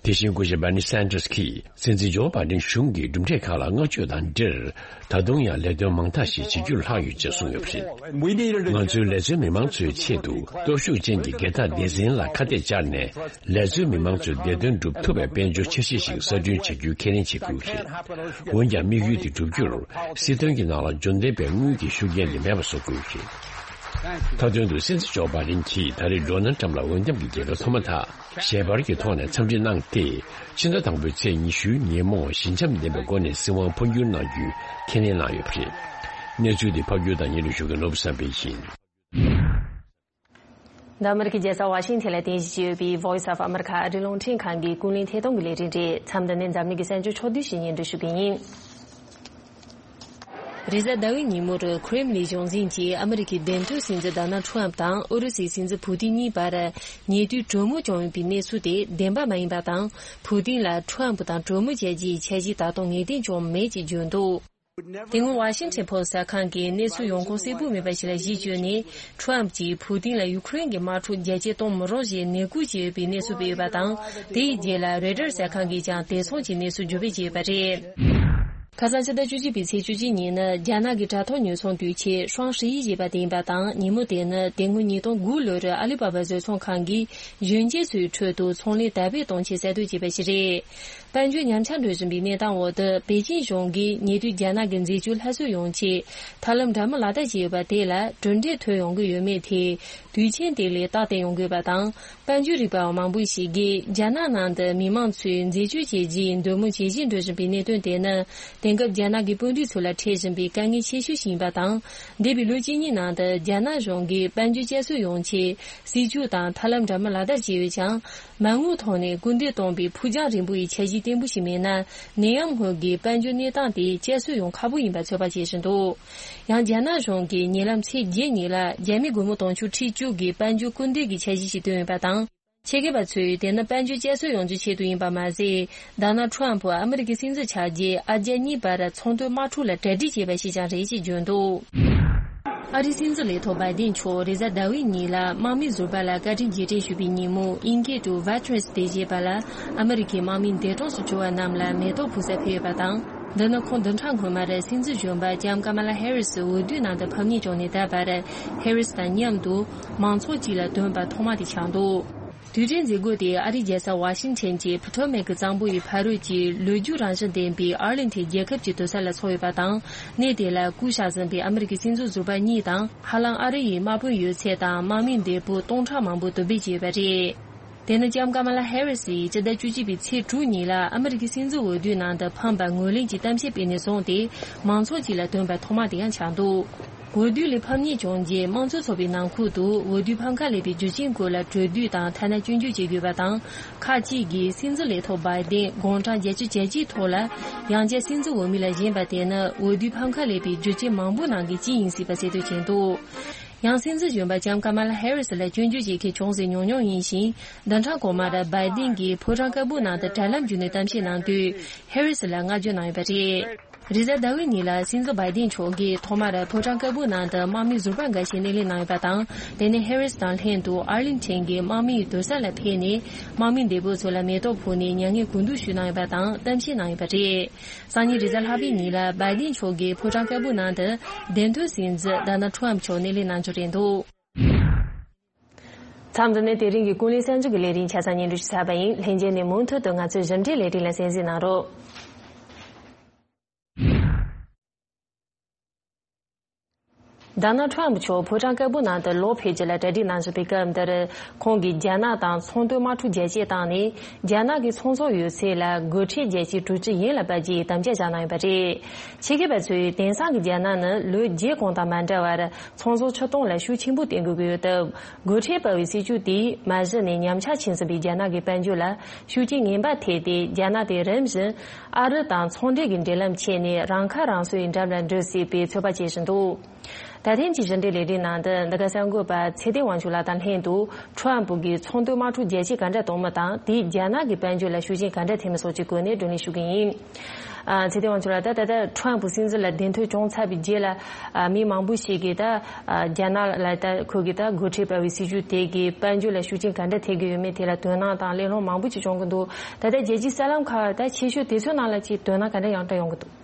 དེ་བཞིན་སྐུ་ཞབས་Bernie Sanders་གྱིས་སྲིད་འཛིན་ཇོ་བྷའི་ཌེན་གཞུང་གིས་གྲུབ་འབྲས་ཁག་ལ་བསྔགས་བརྗོད་དང་འབྲེལ། ད་དུང་ཡང་ལས་དོན་མང་དག་ཞིག་བྱེད་རྒྱུར་ལྷག་ཡོད་ཅེས་གསུངས་ཡོད་པ་རེད། ང་ཚོའི་ལས་བཟོའི་མི་མང་ཚོའི་ཆེད་དུ་སྟོབས་ཤུགས་ཅན་གྱི་སྒེར་བདག་སྡེ་ཚན་ལ་ཁ་གཏད་བཅར་ནས་ལས་བཟོའི་མི་མང་ཚོའི་བདེ་དོན་སྒྲུབ་ཐུབ་པའི་དཔལ་འབྱོར་འཆར་གཞི་ཞིག་གསར་སྐྲུན་བྱ་རྒྱུའི་ཁས་ལེན་བྱེད་དགོས་ཀྱི་རེད། འོན་ཀྱང་དམིགས་ཡུལ་དེ་བསྒྲུབ་རྒྱུར་སྲིད་དོན་གྱི་ནང་ལ་འབྱོར་ལྡན་པའི་དངུལ་གྱི་ཤུགས་རྐྱེན་དེ་མེད་པ་བཟོ་དགོས་ཀྱི་རེད། མཐའ་དོན་དུ་སྲིད་འཛིན་ཇོ་བྷའི་ཌེན་གྱིས་ད་རེས་ཌོ་ནལ་ཊམ་ལ་འོས་འདེམས་ཀྱི་རྒྱལ་ཁ་ཐོབ་མ་ཐག་ཞལ་པར་གྱི་ཐོག་ནས་འཚམས་འདྲི་གནང་སྟེ། ཕྱི་ཟླ་དང་པོའི་ཚེས་ཉི་ཤུའི་ཉིན་མོ་ཞི་འཇམ་ལྡན་པའི་སྒོ་ནས་སྲིད་དབང་འཕོ་འགྱུར་གནང་རྒྱུའི་ཁས་ལེན་གནང་ཡོད་པ་རེད། གནས་ཚུལ་འདི་ཕབ་སྒྱུར་དང་སྙན་སྒྲོན་ཞུ་མཁན་ནོར་བུ་བསམ་འཕེལ་ཡིན། འདི་ཨ་མི་རི་ཀའི་རྒྱལ་ས་ཝ་ཤིང་ཊོན་ལ་རྟེན་གཞི་བྱས་ཡོད་པའི་Voice of America ཨ་རིའི་རླུང་འཕྲིན་ཁང་གི་ཀུན་གླེང་ཐད་གཏོང་གི་ལས་རིམ་རེད། མཚམས་འདི་ནས་འཛམ་གླིང་གི་གསར་འགྱུར་ཕྱོགས་བསྡུས་ཤིག་སྙན་སྒྲོན་ཞུ་གི་ཡིན། རེས་གཟའ་ཟླ་བའི་ཉིན་མོར་ཁྲེམ་ལིན་གཞུང་འཛིན་གྱིས་ཨ་མི་རི་ཀའི་འདེམས་ཐོན་སྲིད་འཛིན་ཌོ་ནལ་ཁྲམ་དང་ཨུ་རུ་སུའི་སྲིད་འཛིན་ཕུ་ཏིན་གཉིས་བར་ཉེ་དུས་གྲོས་མོལ་བྱུང་ཡོད་པའི་གནས་ཚུལ་དེ་བདེན་པ་མ་ཡིན་པ་དང་། ཕུ་ཏིན་ལ་ཁྲམ་དང་གྲོས་མོལ་བྱ་རྒྱུའི་འཆར་གཞི་ད་དུང་ངེས་གཏན་བྱུང་མེད་ཅེས་བརྗོད་འདུག་དེ་སྔོན་ཝ་ཤིང་ཊོན་པོ་སི་གསར་ཁང་གིས་གནས་ཚུལ་ཡོང་ཁུངས་གསལ་པོ་མེད་པ་ཞིག་ལ་གཞི་བཅོལ་ནས། ཁྲམ་གྱིས་ཕུ་ཏིན་ལ་ཡུ་ཁུ་རེན་གྱི་དམག་འཁྲུག་རྒྱ་སྐྱེད་གཏོང་མི་རོགས་ཞེས་ནན་སྐུལ་བྱས་ཡོད་པའི་གནས་ཚུལ་སྤེལ་ཡོད་པ་དང་། དེ་ཡི་རྗེས་ལ་རོའི་ཊར་གསར་ཁང་གིས་ཀྱང་དེ་མཚུངས་ཀྱི་གནས་ཚུལ་འགྲེལ་བརྗོད་བྱས་ཡོད་པ་རེད། ཁ་སང་ཕྱི་ཟླ་བཅུ་གཅིག་པའི་ཚེས་བཅུ་གཅིག་ཉིན་ནི་རྒྱ་ནག་གི་དྲ་ཐོག་ཉོ་ཚོང་དུས་ཆེན་ཧྲང་ཧྲི་ཡི་ཞེས་པ་དེ་ཡིན་པ་དང་། ཉིན་མོ་དེ་ནི་དེ་སྔོན་ཉིས་སྟོང་དགུ་ལོར་ཨ་ལི་པ་པ་བཟོ་ཚོང་ཁང་གིས་གཞོན་སྐྱེས་ཚོའི་ཁྲོད་དུ་ཚོང་ལས་དར་སྤེལ་གཏོང་ཆེད་གསར་གཏོད་བྱས་པ་ཞིག་རེད། དཔལ་འབྱོར་ཉམས་ཆག་འགྲོ་བཞིན་པའི་གནས་སྟངས་འོག་ཏུ། པེ་ཅིན་གཞུང་གིས་ཉེ་དུས་རྒྱ་ནག་གི་འཛད་སྤྱོད་སླར་གསོ་ཡོང་ཆེད་ཐབས་ལམ་འདྲ་མིན་ལག་བསྟར་བྱས་ཡོད་པ་དེ་ལ་གྲུབ་འབྲས་ཐོན་ཡོང་གི་ཡོད་མེད་ཐད། དུས་ཆེན་དེ་ལ་རྟགས་བསྟན་ཡོང་དགོས་པ་དང་། དཔལ་འབྱོར་རིག་པ་བ་མང་པོ་ཞིག་གིས་རྒྱ་ནག་ནང་དུ་མི་མང་ཚོས་འཛད་སྤྱོད་བྱས་རྗེས་འདོད་མོས་ཇེ་ཆེར་འགྲོ་བཞིན་པའི་གནད་དོན་དེ་ནི། དེང་སྐབས་རྒྱ་ནག་གི་དཔོན་རིགས་ཚོ་ལ་འཕྲད་བཞིན་པའི་དཀའ་ངལ་ཆེ་ཤོས་ཤིག་ཡིན་པ་དང་། འདས་པའི་ལོ་གཅིག་གཉིས་ནང་དུ་རྒྱ་ནག་གཞུང་གིས་དཔལ་འབྱོར་བསྐྱར་གསོ་ཡོང་ཆེད་སྲིད་ཇུས་དང་ཐབས་ལམ་འདྲ་མིན་ལག་བསྟར་བྱས་ཡོད་ཀྱང་། མ་དངུལ་ཐོག་ནས་སྐུལ་འདེད་གཏོང་བའི་ཕུགས་རྒྱང་རིང་པོ་ཡི་འཆར་གཞི་བརྟན་པོ་ཞིག་མེད་ན། ནད་ཡམས་སྔོན་གྱི་དཔལ་འབྱོར་གནས་སྟངས་དེ་བསྐྱར་གསོ་ཡོང་ཁག་པོ་ཡིན་པ་ཚོད་དཔག་བྱེད་བཞིན་འདུག་ཡང་རྒྱ་ནག་གཞུང་གིས་ཉེ་ལམ་ཚེས་བརྒྱད་ཉིན་ལ་རྒྱ་མི་སྒོར་མོ་དུང་ཕྱུར་ཁྲི་བཅུ་གི་དཔལ་འབྱོར་སྐུལ་འདེད་ཀྱི་འཆར་གཞི་ཞིག་བཏོན་ཡོད་པ་དང་། ཆེད་མཁས་པ་ཚོས་དེ་ནི་དཔལ་འབྱོར་བསྐྱར་གསོ་ཡོང་རྒྱུའི་ཆེད་དུ་ཡིན་པ་མ་ཟད། ཌོ་ནལ་ཁྲམ་ཕུ་ཨ་མི་རི་ཀའི་སྲིད་འཛིན་ཆགས་རྗེས་ཨ་རྒྱ་གཉིས་བར་ཚོང་དོན་དམག་འཁྲུག་ལ་གྲ་སྒྲིག་བྱས་པ་ཞིག་ཀྱང་རེད་ཅེས་བརྗོད་འདུག་ཨ་རིའི་སྲིད་འཛིན་ལས་ཐོག་བྷའི་ཏིན་མཆོག་རེས་གཟའ་ཟླ་བའི་ཉིན་ལ་དམག་མི་ཟུར་པ་ལ་བཀའ་དྲིན་རྗེས་དྲན་ཞུས་པའི་ཉིན་མོ། ཨིན་སྐད་དུ་Veterans Day ཞེས་པ་ལ་ཨ་མི་རི་ཀའི་དམག་མི་འདས་གྲོངས་སུ་གྱུར་བ་རྣམས་ལ་མེ་ཏོག་ཕུལ་སར་ཕེབས་ཡོད་པ་དང་། འདི་ནི་ཁོང་བདུན་ཕྲག་སྔོན་མར་སྲིད་འཛིན་གཞོན་པ་ལྕམ་ཀ་མ་ལ་ཧེ་རི་སི་འོས་བསྡུའི་ནང་དུ་ཕམ་ཉེས་བྱུང་ནས་ད་བར་ཧེ་རི་སི་དང་མཉམ་དུ་མང་ཚོགས་གཅིག་ལ་ཐོན་པ་ཐོག་མ་དེ་ཆགས་འདུག་དུས་དྲན་མཛད་སྒོ་དེ་ཨ་རིའི་རྒྱལ་ས་ཝ་ཤིང་ཊོན་གྱི་ཕོ་ཊོ་མེག་གཙང་པོ་ཡི་ཕ་རོལ་གྱི་ལོ་རྒྱུས་རང་བཞིན་ལྡན་པའི་ཨར་ལིང་ཊོན་རྒྱལ་ཁབ་ཀྱི་སྡོད་ས་ལ་འཚོགས་ཡོད་པ་དང་། གནས་དེ་ལ་སྐུ་གཤེགས་ཟིན་པའི་ཨ་མི་རི་ཀའི་སྲིད་འཛིན་ཟུར་པ་གཉིས་དང་། ཧ་ལམ་ཨ་རི་ཡི་དམག་དཔོན་ཡོད་ཚད་དང་དམག་མི་འདས་པོ་སྟོང་ཕྲག་མང་པོ་དོ་སྦས་བྱས་ཡོད་པ་རེད། དེ་ནི་ལྕམ་ཀ་མ་ལ་ཧེ་རི་སི་ཡིས་སྤྱི་ཟླ་བཅུ་གཅིག་པའི་ཚེས་དྲུག་ཉིན་ལ་ཨ་མི་རི་ཀའི་སྲིད་འཛིན་འོས་བསྡུའི་ནང་དུ་ཕམ་པར་ངོས་ལེན་གྱི་གཏམ་བཤད་སྤེལ་ནས་བཟུང་སྟེ། མང་ཚོགས་ཀྱི་ལ་ཐོན་པ་ཐོག་མ་དེ་ཡང་ཆགས་འདུག་འོས་བསྡུ་ལས་ཕམ་ཉེས་བྱུང་རྗེས་དམངས་གཙོ་ཚོགས་པའི་ནང་ཁུལ་དུ་འོས་བསྡུའི་ཕམ་ཁ་ལས་པའི་རྒྱུ་རྐྱེན་སྐོར་ལ་གྲོས་བསྡུར་དང་ཐ་ན་སྐྱོན་བརྗོད་བྱེད་དགོས་པ་དང་། ཁག་ཅིག་གིས་སྲིད་འཛིན་ལས་ཐོག་བྷའི་ཏིན་དགུང་གྲངས་བརྒྱད་ཅུ་གྱ་གཅིག་ཐོག་ལ་ཡང་བསྐྱར་སྲིད་འཛིན་འོས་མི་ལ་བཞེངས་པ་དེ་ནི་འོས་བསྡུའི་ཕམ་ཁ་ལས་པའི་རྒྱུ་རྐྱེན་མང་པོའི་ནང་གི་གཅིག་ཡིན་སྲིད་པ་གསལ་སྟོན་བྱས་འདུག་ཡང་སྲིད་འཛིན་གཞོན་པ་ལྕམ་ཀ་མ་ལ་ཧེ་རི་སི་ལ་སྐྱོན་བརྗོད་བྱེད་མཁན་ཅུང་ཟད་ཉུང་ཉུང་ཡིན་ཞིང་། བདུན་ཕྲག་གོང་མར་བྷའི་ཏིན་གྱིས་ཕོ་བྲང་དཀར་པོའི་ནང་དུ་དྲ་ལམ་བརྒྱུད་ནས་གཏམ་བཤད་གནང་དུས་ཧེ་རི་སི་ལ་བསྔགས་བརྗོད་གནང་ཡོད་པ་རེད། རེས་གཟའ་ཟླ་བའི་ཉིན་ལ་སྲིད་འཛིན་བྷའི་ཏིན་མཆོག་གིས་ཐོག་མར་ཕོ་བྲང་དཀར་པོའི་ནང་དུ་དམག་མི་ཟུར་པ་འགའ་ཤས་སྣེ་ལེན་གནང་ཡོད་པ་དང་། དེ་ནས་ཧེ་རི་སི་དང་ལྷན་དུ་ཨར་ལིང་ཊོན་གྱི་དམག་མིའི་སྡོད་ས་ལ་ཕེབས་ནས་དམག་མི་འདས་པོ་ཚོ་ལ་མེ་ཏོག་ཕུལ་ནས་མྱ་ངན་གུས་འདུད་ཞུས་གནང་ཡོད་པ་དང་གཏམ་བཤད་གནང་ཡོད་པ་རེད། སང་ཉིན་རེས་གཟའ་ལྷག་པའི་ཉིན་ལ་བྷའི་ཏིན་མཆོག་གིས་ཕོ་བྲང་དཀར་པོའི་ནང་དུ་འདེམས་ཐོན་སྲིད་འཛིན་ཌོ་ནལ་ཁྲམ་མཆོག་སྣེ་ལེན་གནང་རྒྱུ་རེད་འདུག་མཚམས་འདི་ནས་དེ་རིང་གི་ཀུན་གླེང་གསར་འགྱུར་གྱི་ལས་རིམ་ཆ་ཚང་སྙན་སྒྲོན་ཞུ་ཚར་བ་ཡིན། ལྷན་རྒྱས་ནས་མུ་མཐུད་དུ་ང་ཚོའི་ཞིབ་ཕྲའི་ལས་རིམ་ལ་གསན་གཟིགས་གནང་རོགས། ཌོ་ནལ་ཊམ་མཆོག་ཕོ་བྲང་དཀར་པོའི་ནང་དུ་ལོག་ཕེབས་རྒྱུ་ལ་གྲ་སྒྲིག་གནང་བཞིན་པའི་སྐབས་འདིར། ཁོང་གིས་རྒྱ་ནག་དང་ཚོང་དོན་དམག་འཁྲུག་རྒྱས་བཤད་བཏང་ནས། རྒྱ་ནག་གི་ཚོང་ཟོག་ཡོད་ཚད་ལ་སྒོ་ཁྲལ་རྒྱག་རྒྱུའི་གྲོས་ཆོད་ཡིན་ལ་བབ་རྒྱུའི་དམ་བཅའ་བཞག་གནང་ཡོད་པ་རེད། ཆེད་མཁས་པ་ཚོས། དེང་སང་གི་རྒྱ་ནག་ནི་ལོ་བརྒྱད་གོང་དང་མ་འདྲ་བར། ཚོང་ཟོག་ཆུ་གཏོང་ལ་ཤུགས་ཆེན་པོ་བརྟེན་དགོས་ཀྱི་ཡོད་སྟབས། སྒོ་ཁྲལ་སྤར་བའི་སྲིད་ཇུས་དེས་མ་གཞི་ནས་ཉམས་ཆག་ཕྱིན་ཟིན་པའི་རྒྱ་ནག་གི་དཔལ་འབྱོར་ལ་ཤུགས་རྐྱེན་ངན་པ་ཐེབས་ཏེ། རྒྱ་ནག་དེ་རིམ་བཞིན་ཨ་རི་དང་ཚོང་འབྲེལ་གྱི་འབྲེལ་ལམ་ཆད་ནས་རང་ཁ་རང་གསོའི་འགྲམ་ལ་འགྲོ་སྲིད་པའི་ཚོད་དཔག་བྱེད་བཞིན་འདུག། ད་ཐེངས་ཀྱི་ཞིབ་ཕྲའི་ལས་རིམ་ནང་དུ། འདི་ག་གསར་འགོད་པ་ཚེ་བརྟན་དབང་ཕྱུག་ལགས་དང་ལྷན་དུ། ཊམ་ཕུ་གིས་ཚོང་དོན་དམག་འཁྲུག་རྒྱས་བཤད་ག་འདྲ་གཏོང་མིན་དང་། དེས་རྒྱ་ནག་གི་དཔལ་འབྱོར་ལ་ཤུགས་རྐྱེན་ག་འདྲ་ཐེབས་མིན་སོགས་ཀྱི་སྐོར་ནས་བགྲོ་གླེང་ཞུ་གི་ཡིན། ཨ། ཚེ་བརྟན་དབང་ཕྱུག་ལགས། ད་ད་ལྟ་ཊམ་ཕུ་སྲིད་འཛིན་ལ་གདན་ཐོབ་བྱུང་ཚར་བའི་རྗེས་ལ། ཨ། མི་མང་པོ་ཞིག་གིས་ད། ཨ། རྒྱ་ནག་ལ་ད་ཁོ་གིས་ད་སྒོ་ཁྲལ་སྤར་བའི་སྲིད་ཇུས་དེ་གིས་དཔལ་འབྱོར་ལ་ཤུགས་རྐྱེན་ག་འདྲ་ཐེབས་ཀྱི་ཡོད་མེད་དེ་ལ་དོ་སྣང་དང་གླེང་སློང་མང་པོ་ཅིག་བྱུང་གི་འདུག། ད་ལྟ་རྒྱལ་སྤྱིའི་གསར་ལམ་ཁག་ད་ཆེ་ཤོས་དེ་ཚོའི་ནང་ལ་ཅིག་དོ་སྣང་ག་འདྲ་ཡང་བསྐྲུན་ཡོང་གི་འདུག།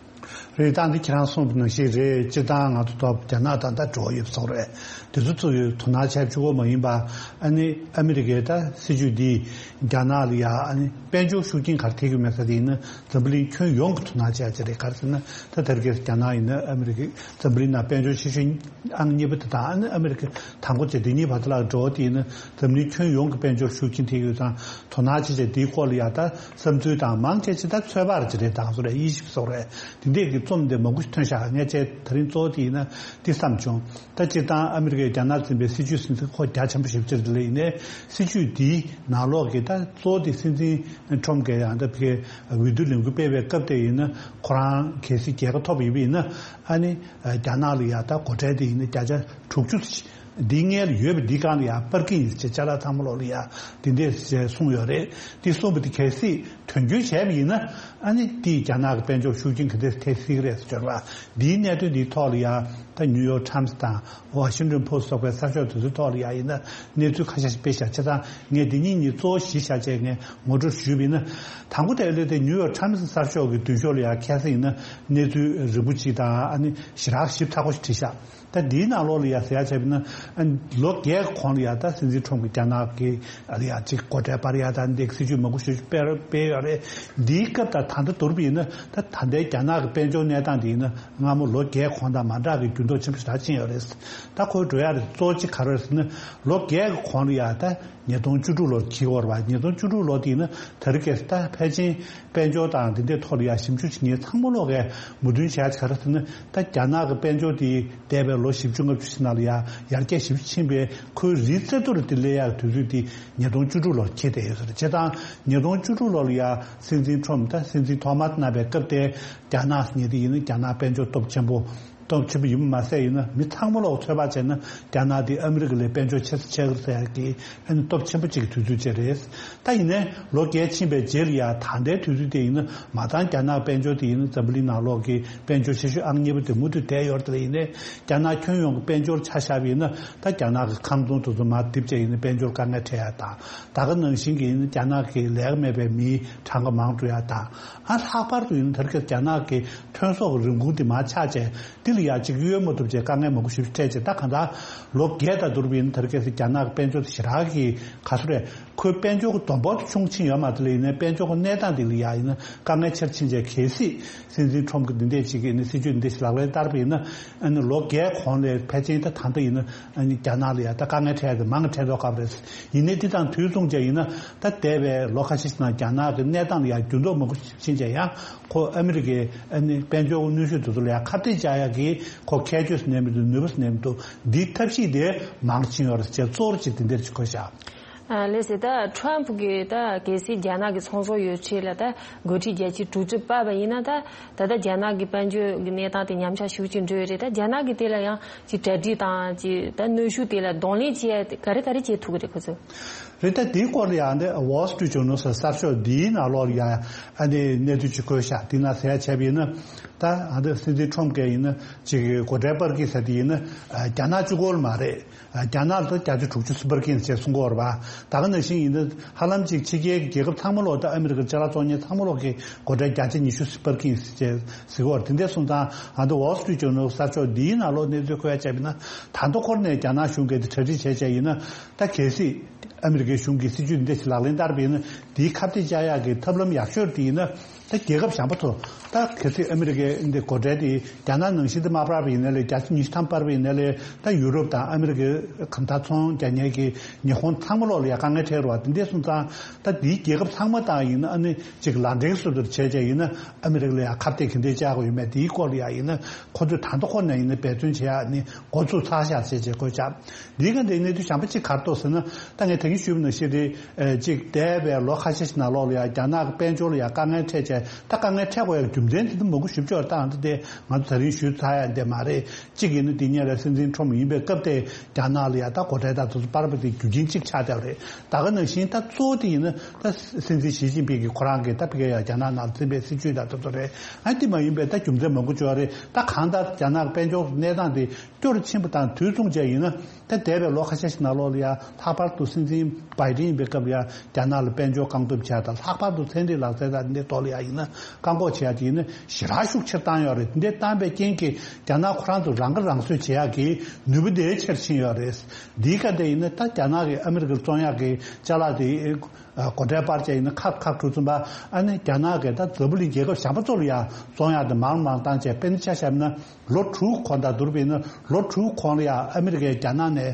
རེད། ད་འདི་ཁྱེད་རང་གསུངས་པ་ནང་བཞིན་རེད། སྤྱིར་བཏང་ང་ཚོ་ཐོག་རྒྱ་ནག་དང་ད་འབྲེལ་བ་ཡོད་པ་སོགས་རེད། དེ་ཚོ་ཚོ་ཡོད་དོ་སྣང་བྱས་བཅུག་གི་མ་ཡིན་པ། ཨ་ནི་ཨ་མི་རི་ཀའི་ད་སྲིད་ཇུས་འདིས་རྒྱ་ནག་ལ་ཡ་ཨ་ནི་དཔལ་འབྱོར་ཤུགས་རྐྱེན་ག་རེ་ཐེབས་ཀྱི་མེད་ས་དེ་ཡིན་ན། འཛམ་བུ་གླིང་ཁྱོན་ཡོངས་ཀྱི་དོ་སྣང་བྱས་ཡ་ཅིག་རེད། ག་རེ་ཟེར་ན། ད་དེ་རིང་ཁ་སང་རྒྱ་ནག་ཡིན་ན་ཨ་མི་རི་ཀའི་འཛམ་བུ་གླིང་ནང་དཔལ་འབྱོར་ཆེ་ཤོས་ཨང་གཉིས་པ་དེ་དང་། ཨ་ནི་ཨ་མི་རི་ཀ་དང་པོ་བྱས་དེ་གཉིས་བར་དུ་ལ་འགྲོ་བ་དེ་ཡིན་ན། འཛམ་གླིང་ཁྱོན་ཡོངས་ཀྱི་དཔལ་འབྱོར་ཤུགས་རྐྱེན་ཐེབས་ཡོད་ཙང་། དོ་སྣང་བྱེད་བྱས་དེའི་སྐོར་ལ་ཡ་ད་བསམ་ཚུལ་དང་། མང་ཆེ་ཆེ་ད་ཚོད་དཔག་ཅིག་རེད། དང་སོ་རེད། དབྱེ་ཞིབ་སོགས་རེད། དེ་འདྲས་ཀྱི་རྩོམ་དེ་མང་པོ་ཞིག་ཐོན་ཤག། ངས་བྱས་དེ་རིང་གཙོ་བོ་དེ་ཡིན་ན་འདི་བསམ་བྱུང་། ད་སྤྱིར་བཏང་ཨ་མི་རི་ཀས་རྒྱ་ནག་འཛིན་པའི་སྲིད་ཇུས་ཟིན་ཚུལ་ཁོ་རྒྱ་ཆེན་པོ་ཞེ་པོ་ཅིག་རེད། དེ་ལས་ཡིན་ནའི་སྲིད་ཇུས་འདིའི་ནང་ལོགས་ཀྱི་ད་གཙོ་བོ་དེ་སྲིད་འཛིན་ཁྲོམ་གྱིས་ཡང་ད་ཕ་གིའི་འོས་བསྡུ་ལས་འགུལ་སྤེལ་བའི་སྐབས་དེ་ཡིན་ན། ཁོ་རང་གལ་སྲིད་རྒྱལ་ཁ་ཐོབ་ཡོད་པ་ཡིན་ན། ཨ་ནི་རྒྱ་ནག་ལ་ཡ་ད་སྒོ་ཁྲལ་དེ་ཡིན་ན་བརྒྱ་ཆ་དྲུག་ཅུ་འདིའི་སྔོན་ལ་ཡོད་པ་འདི་སྒང་ལ་ཡ་སྤར་གྱི་ཡིན་ཟེར། ཅ་ལག་ཚང་མ་ལོག་ལ་ཡ་འདི་འདྲས་གསུངས་ཡོད་རེད། འདི་གསུངས་པ་འདི་གལ་སྲིད་དོན་འཁྱོལ་བྱས་པ་ཡིན་ན། ཨ་ནི་འདིས་རྒྱ་ནག་གི་དཔལ་འབྱོར་ཤུགས་རྐྱེན་ག་འདྲས་ཐེབས་སྲིད་ཀྱི་རེད་ཟེར་བ། འདིའི་གནད་དོན་འདིའི་ཐོག་ལ་ཡ་ད་ནིའུ་ཡོག་ཊའིམ་སི་དང་ཝ་ཤིང་ཊོན་པོ་སི་ཊི་སོགས་པའི་གསར་ཤོག་དེ་ཚོའི་ཐོག་ལ་ཡ་ཡིན་ན་གནས་ཚུལ་ཁ་ཤས་ཤིག་སྤེལ་བཞག། བྱས་ཙང་ངས་འདི་གཉིས་གཉིས་གཙོ་བོ་གཞི་བཞག་བྱས་ངས་ངོ་སྤྲོད་ཞུས་པ་ཡིན་ན། དང་པོ་དེ་ལས་དེ་ནིའུ་ཡོག་ཊའིམ་སི་གསར་ཤོག་གི་མདུན་ཤོག་ལ་ཡ་ཁ་སང་ཡིན་ན་གནས་ཚུལ་རིང་པོ་ཅིག་དང་། ཨ་ནི་ཞེ་དྲག་ཞིབ་ཚགས་པོ་ཞིག་བྲིས་ཤག། ད་འདིའི་ནང་ལོགས་ལ་ཡ་ཟེར་ཡ་བྱས་པ་ཡིན་ན། ཨ་ནི་ལོ་བརྒྱད་གོང་ལ་ཡ་ད་སྲིད་འཛིན་ཁྲོམ་གྱིས་རྒྱ་ནག་གི་ཨ་ལ་ཡ་ཅིག་སྒོ་ཁྲལ་སྤར་ཡ་དང་འདི་སྲིད་ཇུས་མང་པོ་ཞིག་སྤེལ་སྤེལ་ཡོད་རེད། འདིའི་སྐབས་དང་ད་ལྟ་བསྡུར་བ་ཡིན་ན། ད་ད་ལྟའི་རྒྱ་ནག་གི་དཔལ་འབྱོར་གནས་སྟངས་འདི་ཡིན་ན་སྔ་མོ་ལོ་བརྒྱད་གོང་དང་མ་འདྲ་གི་འགྱུར་ལྡོག་ཆེན་པོ་ཞེ་དྲག་ཕྱིན་ཡོད་རེད། ད་ཁོའི་འགྲོ་ཡ་རེད་གཙོ་བོ་གཅིག་ག་རེ་རེད་ཟེར་ན། ལོ་བརྒྱད་གི་གོང་ལ་ཡ་ད་ཉིས་སྟོང་བཅུ་དྲུག་ལོར་འཁྱེར་ཡོད་རེད་པ། ཉིས་སྟོང་བཅུ་དྲུག་ལོ་དེ་ཡིན་ན་དེ་རིང་ཁ་སང་ད་ཕལ་ཆེར་དཔལ་འབྱོར་དང་དེ་འདྲའི་ཐོག་ལ་ཡ་ཞིབ་འཇུག་བྱེད་མཁན་ཚང་མ་ལོག་གིས་མོས་མཐུན་བྱས་ཡ་ག་རེ་ཟེར་ན། ད་རྒྱ་ནག་གི་དཔལ་འབྱོར་དེ་འདས་པའི་ལོ་བཞི་བཅུ་ལྔ་བཅུ་ཞིག་ནང་ལ་ཡ་ཡར་རྒྱས་ཞེ་པོ་ཕྱིན་པས། ཁོའི་རིའི་རྩེ་ཏོག་རེ་དེ་སླེབས་ཡ་གི་དུས་ཚོད་དེ་ཉིས་སྟོང་བཅུ་དྲུག་ལོར་འཁེལ་བསྡད་ཡོད་ས་རེད། བྱས་ཙང་ཉིས་སྟོང་བཅུ་དྲུག་ལོ་ལ་ཡ་སྲིད་འཛིན་ཁྲོམ་ད་སྲིད་འཛིན་ཐོག་མ་གནང་བའི་སྐབས་དེ། རྒྱ་ནག་ཟེར་མཁན་དེ་ཡིན་ན་རྒྱ་ནག་དཔལ་འབྱོར་སྟོབས་ཆེན་པོ། སྟོབས་ཆེན་པོ་ཡིན་པ་མ་ཟད་ཡིན་ན། མི་ཚང་མ་ལོག་ཚོད་དཔག་བྱས་ན་རྒྱ་ནག་དེ་ཨ་མི་རི་ཀ་ལས་དཔལ་འབྱོར་ཆེ་ས་ཆེ་གི་རེད་ཟེར་ཡ་གི་ཨ་ནི་སྟོབས་ཆེན་པོ་གཅིག་གི་དུས་ཚོད་ཅིག་རེད། ད་ཡིན་ནའི་ལོ་བརྒྱད་ཕྱིན་པའི་རྗེས་ལ་ཡ་ད་ལྟའི་དུས་ཚོད་དེ་ཡིན་ན། མ་མཐའ་རྒྱ་ནག་དཔལ་འབྱོར་དེ་ཡིན་ན་འཛམ་བུ་གླིང་ནང་ལོག་གི་དཔལ་འབྱོར་ཆེ་ཤོས་ཨང་གཉིས་པ་དེ་མུ་མཐུད་བསྡད་ཡོད་རེད། དེ་ལ་ཡིན་ནའི་རྒྱ་ནག་ཁྱོན་ཡོངས་ཀྱི་དཔལ་འབྱོར་ཆ་བཞག་པ་ཡིན་ན། ད་རྒྱ་ནག་གི་ཁང་ཚོང་དེ་ཚོ་མར་རྡིབ་བྱས་ཡིན་ན་དཔལ་འབྱོར་དཀའ་ངལ་འཕྲད་ཡ་དང་། ད་ག་ནང་བཞིན་གྱི་ཡིན་ན་རྒྱ་ནག་གི་ལས་ཀ་མེད་པའི་མིའི་གྲངས་ཀ་མང་འགྲོ་ཡ་དང་། ཨ་ལྷག་པར་དུ་ཡིན་ན་དེ་རིང་ཁ་སང་རྒྱ་ནག་གི་ཐོན་ཟོག་གི་རིན་གོང་དེ་མར་ཆག་བྱས། དེ་ལ་ཡ་གཅིག་གཡོལ་མ་ཐུབ་བྱས་དཀའ་ངལ་མང་པོ་ཞིག་འཕྲད་བྱས། ད་གང་ལྟར་ལོ་བརྒྱད་དང་བསྡུར་བ་ཡིན་ན་དེ་རིང་ཁ་སང་རྒྱ་ནག་གི་དཔལ་འབྱོར་དེ་ཞེ་དྲག་གི་ག་ཚོད་རེད། ཁོའི་དཔལ་འབྱོར་གྱི་བསྡོམས་པ་དེ་ཆུང་ཕྱིན་ཡོད་མ་རེད། དེ་ལ་ཡིན་ནའི་དཔལ་འབྱོར་གྱི་གནས་སྟངས་དེ་ལ་ཡ་ཡིན་ན་དཀའ་ངལ་ཆེར་ཕྱིན་བྱས། གལ་སྲིད་སྲིད་འཛིན་ཁྲོམ་གྱིས་འདི་འདྲས་ཅིག་གི་ནི་སྲིད་ཇུས་འདི་འདྲས་ཞིག་ལག་ལེན་བསྟར་བ་ཡིན་ན། ཨ་ནི་ལོ་བརྒྱད་གོང་ལས་ཕལ་ཆེར་ད་ད་ལྟ་ཡིན་ན་ཨ་ནི་རྒྱ་ནག་ལ་ཡ་ད་དཀའ་ངལ་འཕྲད་དེ་མང་གི་འཕྲད་མདོག་ཁ་པོ་རེད། ཡིན་ནའི་འདི་དང་དུས་མཚུངས་བྱས་ཡིན་ན། ད་འདས་པའི་ལོ་ཁ་ཤས་ཤིག་ནང་རྒྱ་ནག་གི་གནས་སྟངས་ལ་ཡ་འགྱུར་ལྡོག་མང་པོ་ཕྱིན་བྱས། ཡང་ཁོ་ཨ་མི་རི་ཀའི་ཨ་ནི་དཔལ་འབྱོར་གནོན་ཤུགས་དེ་ཚོ་ལ་ཡ་ཁ་གཏད་བཅག་ཡ་གི་ཁོ་ཁྱད་ཆོས་སུ་གནས་མི་འདུག། ནུས་པ་སུ་གནས་མི་འདུག། འདིའི་ཐབས་ཤེས་དེ་མང་ཕྱིན་ཡོད་རེད་ཅེས་གཙོ་བོར་ཅིག་དེ་འདྲ་ཅིག་གོ་བཞག། ཨ་ལགས་སེ། ད་ཊམ་ཕུ་གིས་ད་གལ་སྲིད་རྒྱ་ནག་གི་ཚོང་ཟོག་ཡོད་ཚད་ལ་ད་སྒོ་ཁྲལ་བརྒྱ་ཆ་དྲུག་ཅུ་སྤར་བ་ཡིན་ན། ད་ད་ལྟ་རྒྱ་ནག་གི་དཔལ་འབྱོར་གྱི་གནས་སྟངས་དེ་ཉམས་ཆག་ཤུགས་ཆེ་འགྲོ་ཡོད་རེད། ད་རྒྱ་ནག་གིས་དེ་ལ་ཡང་ཅིག་གྲ་སྒྲིག་དང་། ཅིག་ད་གནོན་ཤུགས་དེ་ལ་གདོང་ལེན་བྱེད་ཡ་ག་རེ་ག་རེ་བྱེད་ཐུབ་ཀྱི་རེད་ཁོ་ཚོས། རེད། ད་དེའི་སྐོར་ལ་ཡང་འདི་Wall Street Journal ཟེར་གསར་ཤོག་འདིའི་ནང་ལོགས་ལ་ཡང་ཨ་ནི་གནས་ཚུལ་ཅིག་བཀོད་ཤག་དེའི་ནང་ཟེར་ཡ་བྱས་པ་ཡིན་ན། ད་ཨ་འདི་སྲིད་འཛིན་ཁྲོམ་གྱིས་ཡིན་ན་ཅིག་སྒོ་ཁྲལ་སྤར་གྱི་ཟེར་དེ་ཡིན་ན་རྒྱ་ནག་གཅིག་པོ་ལ་མ་རེད། རྒྱ་ནག་ལ་ད་བརྒྱ་ཆ་དྲུག་ཅུ་སྤར་གྱི་ཡིན་ཟེར་གསུང་གི་ཡོད་རེད་པ། ད་ག་ནང་བཞིན་ཡིན་ན་ཧ་ལམ་ཅིག་ཕྱི་རྒྱལ་གྱི་རྒྱལ་ཁབ་ཚང་མ་ལོག་ད་ཨ་མི་རི་ཀའི་ཅ་ལག་བཙོང་མཁན་ཚང་མ་ལོག་གི་སྒོ་ཁྲལ་བརྒྱ་ཆ་ཉི་ཤུ་སྤར་གྱི་ཡིན་ཟེར་ཟེར་གྱི་ཡོད་རེད། དེ་འདྲ་སོང་ཙང་ཨ་འདི་Wall Street Journal གསར་ཤོག་འདིའི་ནང་ལོགས་གནས་ཚུལ་བཀོད་ཡ་བྱས་པ་ཡིན་ན། ད་ལྟ་འཁོར་ནས་རྒྱ་ནག་གཞུང་གིས་དེ་གྲ་སྒྲིག་བྱས་བྱས་ཡིན་ན། ད་གལ་སྲིད་ཨ་མི་རི་ཀའི་གཞུང་གིས་སྲིད་ཇུས་འདི་འདྲ་ཞིག་ལག་ལེན་བསྟར་བ་ཡིན་ན། དེའི་ཁ་གཏད་བཅག་ཡག་གི་ཐབས་ལམ་ཡག་ཤོས་དེ་ཡིན་ན། ད་རྒྱལ་ཁབ་གཞན་པ་ཚོ། ད་གལ་སྲིད་ཨ་མི་རི་ཀའི་འདི་སྒོ་ཁྲལ་དེ་རྒྱ་ནག་ནང་བཞིན་དུ་མ་སྤར་བ་ཡིན་ན་ལས་བརྒྱ་ཆ་ཉི་ཤུ་ཐམ་སྤར་བ་ཡིན་ན་ལས། ད་ཡུ་རོབ་དང་ཨ་མི་རི་ཀའི་གང་ལྟར་ཚོང་རྒྱག་མཁན་གྱི་ཉི་ཧོང་ཚང་མ་ལོག་ལ་ཡ་དཀའ་ངལ་འཕྲད་རེད་པ། དེ་འདྲ་སོང་ཙང་ད་དེའི་རྒྱལ་ཁབ་ཚང་མ་དང་ཡིན་ན་ཨ་ནི་ཅིག་ལག་འབྲེལ་བཟོ་འདྲ་བྱས་བྱས་ཡིན་ན། ཨ་མི་རི་ཀ་ལ་ཡ་ཁ་གཏད་ག་འདྲ་བཅག་དགོས་ཡོད་མེད་དེའི་སྐོར་ལ་ཡ་ཡིན་ན། ཁོ་ཚོས་ད་ལྟ་ཁོ་ནས་ཡིན་ན་འབད་བརྩོན་བྱེད་ཡ་ནི་འགོ་ཚུགས་ཚར་ཤག་ཟེར་བྱས་བཀོད་བྱ། འདིའི་སྒང་དེ་གནས་ཚུལ་གཞན་པ་གཅིག་ག་རེ་འདུག་ཟེར་ན། ད་ངས་ད་གིན་ཞུས་པ་ནང་བཞིན་རེད། ཨེ་གཅིག་འདས་པའི་ལོ་ཁ་ཤས་ཤིག་ནང་ལོགས་ལ་ཡང་རྒྱ་ནག་གི་དཔལ་འབྱོར་ལ་ཡང་དཀའ་ངལ་འཕྲད་བྱས། ད་དཀའ་ངལ་འཕྲད་དགོས་ཡག་རྒྱུ་མཚན་དེ་ཚོ་མང་པོ་ཞིབ་འཇུག་བཏང་། ད་དེ་ང་ཚོ་ད་རིང་ཞུས་ཚར་ཡག་འདི་མ་རེད། གཅིག་ཡིན་ན་འདི་སྔོན་ལ་སྲིད་འཛིན་ཁྲོམ་ཡིན་པའི་སྐབས་དེ་རྒྱ་ནག་ལ་ཡང་ད་སྒོ་ཁྲལ་དང་དེ་ཚོ་སྤར་བ་དེ་རྒྱུ་རྐྱེན་གཅིག་ཆགས་བསྡད་པ་རེད། ད་ག་ནང་བཞིན་ད་གཙོ་བོ་དེ་ཡིན་ན་ད་སྲིད་འཛིན་ཞི་ཅིན་ཕིང་གིས་ཁོ་རང་གིས་ད་ཕ་གིར་ཡང་རྒྱ་ནག་ནང་འཛིན་པའི་སྲིད་ཇུས་དང་དེ་ཚོ་རེད། ཨ་དེ་མ་ཡིན་པའི་ད་རྒྱུ་མཚན་མང་པོ་ཅིག་ཡོད་རེད། ད་གང་ལྟར་རྒྱ་ནག་གི་དཔལ་འབྱོར་གནས་སྟངས་དེ་སྐྱོ་རུ་ཕྱིན་པ་དང་དུས་མཚུངས་བྱས་ཡིན་ན། ད་འདས་པའི་ལོ་ཁ་ཤས་ཤིག་ནང་ལོགས་ལ་ཡང་ལྷག་པར་དུ་སྲིད་འཛིན་བྷའི་ཌེན་ཡིན་པའི་སྐབས་ལ་ཡང་རྒྱ་ནག་ལ་དཔལ་འབྱོར་བཀག་སྡོམ་བྱས་དང་། ལྷག་པར་དུ་ཚན་རིག་ལག་རྩལ་དང་འདི་ཐོག་ལ་ཡང་ཡིན་ན་བཀག་འགོག་བྱས་ཡ་དེ་ཡིན་ན་ཞེ་དྲག་ཤུགས་ཆེར་བཏང་ཡོད་རེད། འདི་བཏང་པའི་རྐྱེན་གྱིས་རྒྱ་ནག་ཁོ་རང་ཚོ་རང་ཁ་རང་གསོ་བྱེད་ཡག་གི་ནུས་པ་དེ་ཆེར་ཕྱིན་ཡོད་རེད། འདིའི་སྐབས་དེ་ཡིན་ན་ད་རྒྱ་ནག་གིས་ཨ་མི་རི་ཀར་བཙོང་ཡག་གི་ཅ་ལག་དེ་སྒོ་ཁྲལ་སྤར་བྱས་ཡིན་ན་ཁག་ཁག་འགྲོ་ཙམ་པ། ཨ་ནི་རྒྱ་ནག་གིས་ད་འཛམ་བུ་གླིང་རྒྱལ་ཁབ་གཞན་པ་ཚོ་ལ་ཡང་བཙོང་ཡག་དེ་མང་མང་བཏང་བྱས། དཔེར་ན་ཆ་བཞག་ན། ལོ་དྲུག་གོང་དང་བསྡུར་བ་ཡིན་ན་ལོ་དྲུག་གོང་ལ་ཡང་ཨ་མི་རི་ཀས་རྒྱ་ནག་ནས་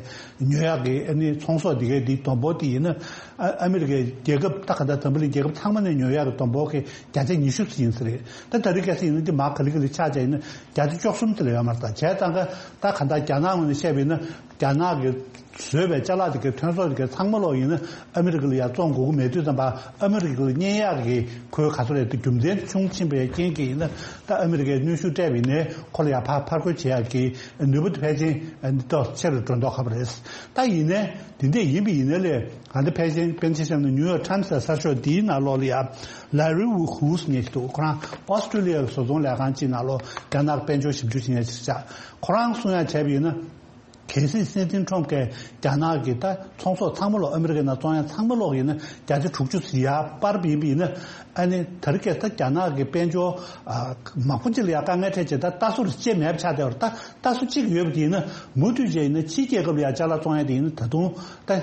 ཉོ་ཡག་གི་ཨ་ནི་ཚོང་ཟོག་འདི་གའི་འདི་བསྡོམས་པོ་དེ་ཡིན་ན། ཨ་ཨ་མི་རི་ཀའི་རྒྱལ་ཁབ་ད་ག་ད་འཛམ་བུ་གླིང་རྒྱལ་ཁབ་ཚང་མ་ནས་ཉོ་ཡག་གི་བསྡོམས་པོ་གི་བརྒྱ་ཆ་ཉི་ཤུ་ཙམ་ཡིན་ས་རེད། ད་ད་རེས་གལ་སྲིད་ཡིན་ན་འདི་མར་ག་ལེ་ག་ལེ་ཆག་བྱས་ཡིན་ན་བརྒྱ་ཆ་བཅུ་གསུམ་ཙམ་ལ་ཡོད་མ་རེད། ད་བྱས་ཙང་ག་ད་ག་ད་རྒྱ་ནག་ངོས་ནས་བཤད་པ་ཡིན་ན་རྒྱ་ནག་གི་བཟོས་པའི་ཅ་ལག་དེ་གའི་ཐོན་ཟོག་དེ་གའི་ཚང་མ་ལོག་ཡིན་ན་ཨ་མི་རི་ཀ་ལ་ཡར་བཙོང་དགོས་ཀྱི་མེད་དུས་ཙམ་པ། ཨ་མི་རི་ཀ་ལ་གཉེར་ཡག་གི་ཁོའི་ག་ཚོད་རེད་དེ་རྒྱུ་མཚན་ཆུང་ཕྱིན་པའི་རྐྱེན་གྱིས་ཡིན་ན། ད་ཨ་མི་རི་ཀས་གནོན་ཤུགས་སྤྲད་པ་ཡིན་ནའི་ཁོ་ལ་ཡར་ཕར་ཕར་རྒོལ་བྱེད་ཡག་གི་ནུས་པ་དེ་ཕལ་ཆེར་འདི་ཏོག་ཆེ་རུ་འགྲོ་མདོག་ཁ་པོ་རེད། ད་ཡིན་ནའི་དེ་འདྲས་ཡིན་པ་ཡིན་ནའི་ལས་ང་ཚོ་ཕལ་ཆེར་དཔེར་ན་ཆ་བཞག་ན་ནིའུ་ཡོག་ཊའིམ་སི་ཟེར་གསར་ཤོག་འདིའི་ནང་ལོགས་ལ་ཡ་ལེ་རི་ཝུ་ཧུ་ཟེར་མཁན་ཞིག་འདུག་ཁོ་རང་ཨོ་སི་ཀྲི་ལི་ཡ་གི་བཟོ་ཚོང་ལས་ཁང་གཅིག་ནང་ལོགས་རྒྱ་ནག་དཔལ་འབྱོར་ཞིབ་འཇུག་བྱེད་མཁན་ཞིག་ཆགས། ཁོ་རང་གསུང་ཡ་བྱས་པ་ཡིན་ན། གལ་སྲིད་སྲིད་འཛིན་ཁྲོམ་གྱིས་རྒྱ་ནག་གི་ད་ཚོང་ཟོག་ཚང་མ་ལོག་ཨ་མི་རི་ཀའི་ནང་བཙོང་ཡ་ཚང་མ་ལོག་ཡིན་ན་བརྒྱ་ཆ་དྲུག་ཅུ་ཙམ་ཡར་སྤར་བ་ཡིན་པ་ཡིན་ན། ཨ་ནི་ད་རེས་ཀྱི་ད་རྒྱ་ནག་གི་དཔལ་འབྱོར་ཨ་མང་པོ་ཅིག་ལ་ཡང་དཀའ་ངལ་འཕྲད་བྱས། ད་ལྟ་སོར་ཅེས་མེད་པ་ཆགས་བསྡད་པ་རེད། ད་ལྟ་སོ་གཅིག་ཡོད་པ་དེ་ཡིན་ན་མུ་མཐུད་བྱས་ཡིན་ན་ཕྱིའི་རྒྱལ་ཁབ་ལ་ཡང་ཅ་ལག་བཙོང་ཡ་དེ་ཡིན་ན་ད་དུང་ད་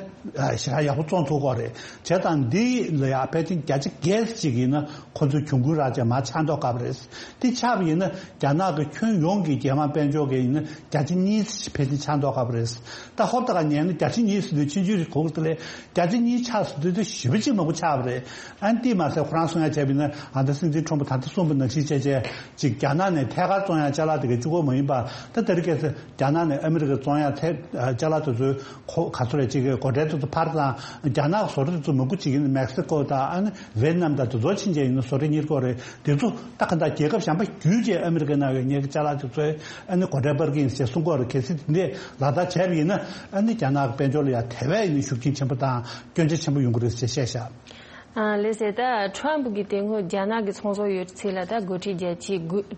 ཞེ་དྲག་ཡག་པོ་བཙོང་ཐུབ་ཀྱི་རེད། བྱས་ཙང་འདི་ལ་ཡང་ཕལ་ཆེར་བརྒྱ་ཆ་བརྒྱད་ཅིག་ཡིན་ན་ཁོ་ཚོས་གྱོང་གུན་རག་བྱས་མར་ཆག་མདོག་ཁ་པོ་རེད། དེ་ཆགས་པ་ཡིན་ན་རྒྱ་ནག་གི་ཁྱོན་ཡོངས་ཀྱི་རྒྱལ་དམངས་དཔལ་འབྱོར་གྱི་ཡིན་ན་བརྒྱ་ཆ་གཉིས་ཕལ་ཆེར་ཆག་མདོག་ཁ་པོ་རེད། ད་ཧོབ་ཏེ་ཁ་ཉན་ན་བརྒྱ་ཆ་གཉིས་ཟེར་དུས་ཆུང་ཆུང་རེད་གོ་གི་རེད། བརྒྱ་ཆ་གཉིས་ཆག་ཟེར་དུས་དེ་ཞེ་པོ་ཅིག་མང་པོ་ཆགས་པ་རེད། ཨ་ནི་དེ་མ་ཟད་ཁོ་རང་གསུང་ཡ་བྱས་པ་ཡིན་ན། ཨ་ད་སྲིད་འཛིན་ཁྲོམ་པོ་ད་ལྟ་གསུངས་པ་ནང་བཞིན་བྱས་བྱས་ཅིག་རྒྱ་ནག་ནས་ཐད་ཀར་བཙོང་ཡ་ཅ་ལག་དེ་གའི་གཅིག་པོ་མ་ཡིན་པ། ད་དེ་རིང་ཁ་སང་རྒྱ་ནག་ནས་ཨ་མི་རི་ཀར་བཙོང་ཡ་ཐད་ཅ་ལག་དེ་ཚོའི་གོ་ག་ཚོད་རེད། ཅིག་གི་སྒོ་ཁྲལ་དེ་ཚོ་འཕར་ཙང་རྒྱ་ནག་གི་བཟོ་གྲྭ་དེ་ཚོ་མང་པོ་ཅིག་ཡིན་ན་མེག་སི་ཀོ་དང་ཨ་ནི་ཝེ་ཏི་ནམ་དང་དེ་ཚོ་ཕྱིན་བྱས་ཡིན་ན་བཟོ་གྲྭ་གཉེར་གྱི་ཡོད་རེད། དེ་ཚོ་ད་ག་འདྲ་རྒྱལ་ཁབ་གཞན་པ་བརྒྱུད་བྱས་ཨ་མི་རི་ཀའི་ནང་ཡོད་མཁན་གྱི་ཅ་ལག་དེ་ཚོའི་ཨ་ནི་སྒོ་ཁྲལ་སྤར་གྱི་ཡིན་ཞེས་གསུང་གི་ཡོད་རེད། གལ་སྲིད་དེ་འདྲས་ལག་བསྟར་བྱས་པ་ཡིན་ན་ཨ་ནི་རྒྱ་ནག་གི་དཔལ་འབྱོར་ལ་ཡང་དེ་བས་ཡིན་ན་ཤུགས་རྐྱེན་ཆེན་པོ་དང་སྐྱོན་ཆ་ཆེན་པོ་ཡོང་གི་རེད་ཅེས་བཤད་བཞག་ཨ་ལགས་སོ། ད་ཁྲོམ་གྱིས་དེ་སྔོན་རྒྱ་ནག་གི་ཚོང་ཟོག་ཡོད་ཚད་ལ་ད་སྒོ་ཁྲལ་བརྒྱ་ཆ་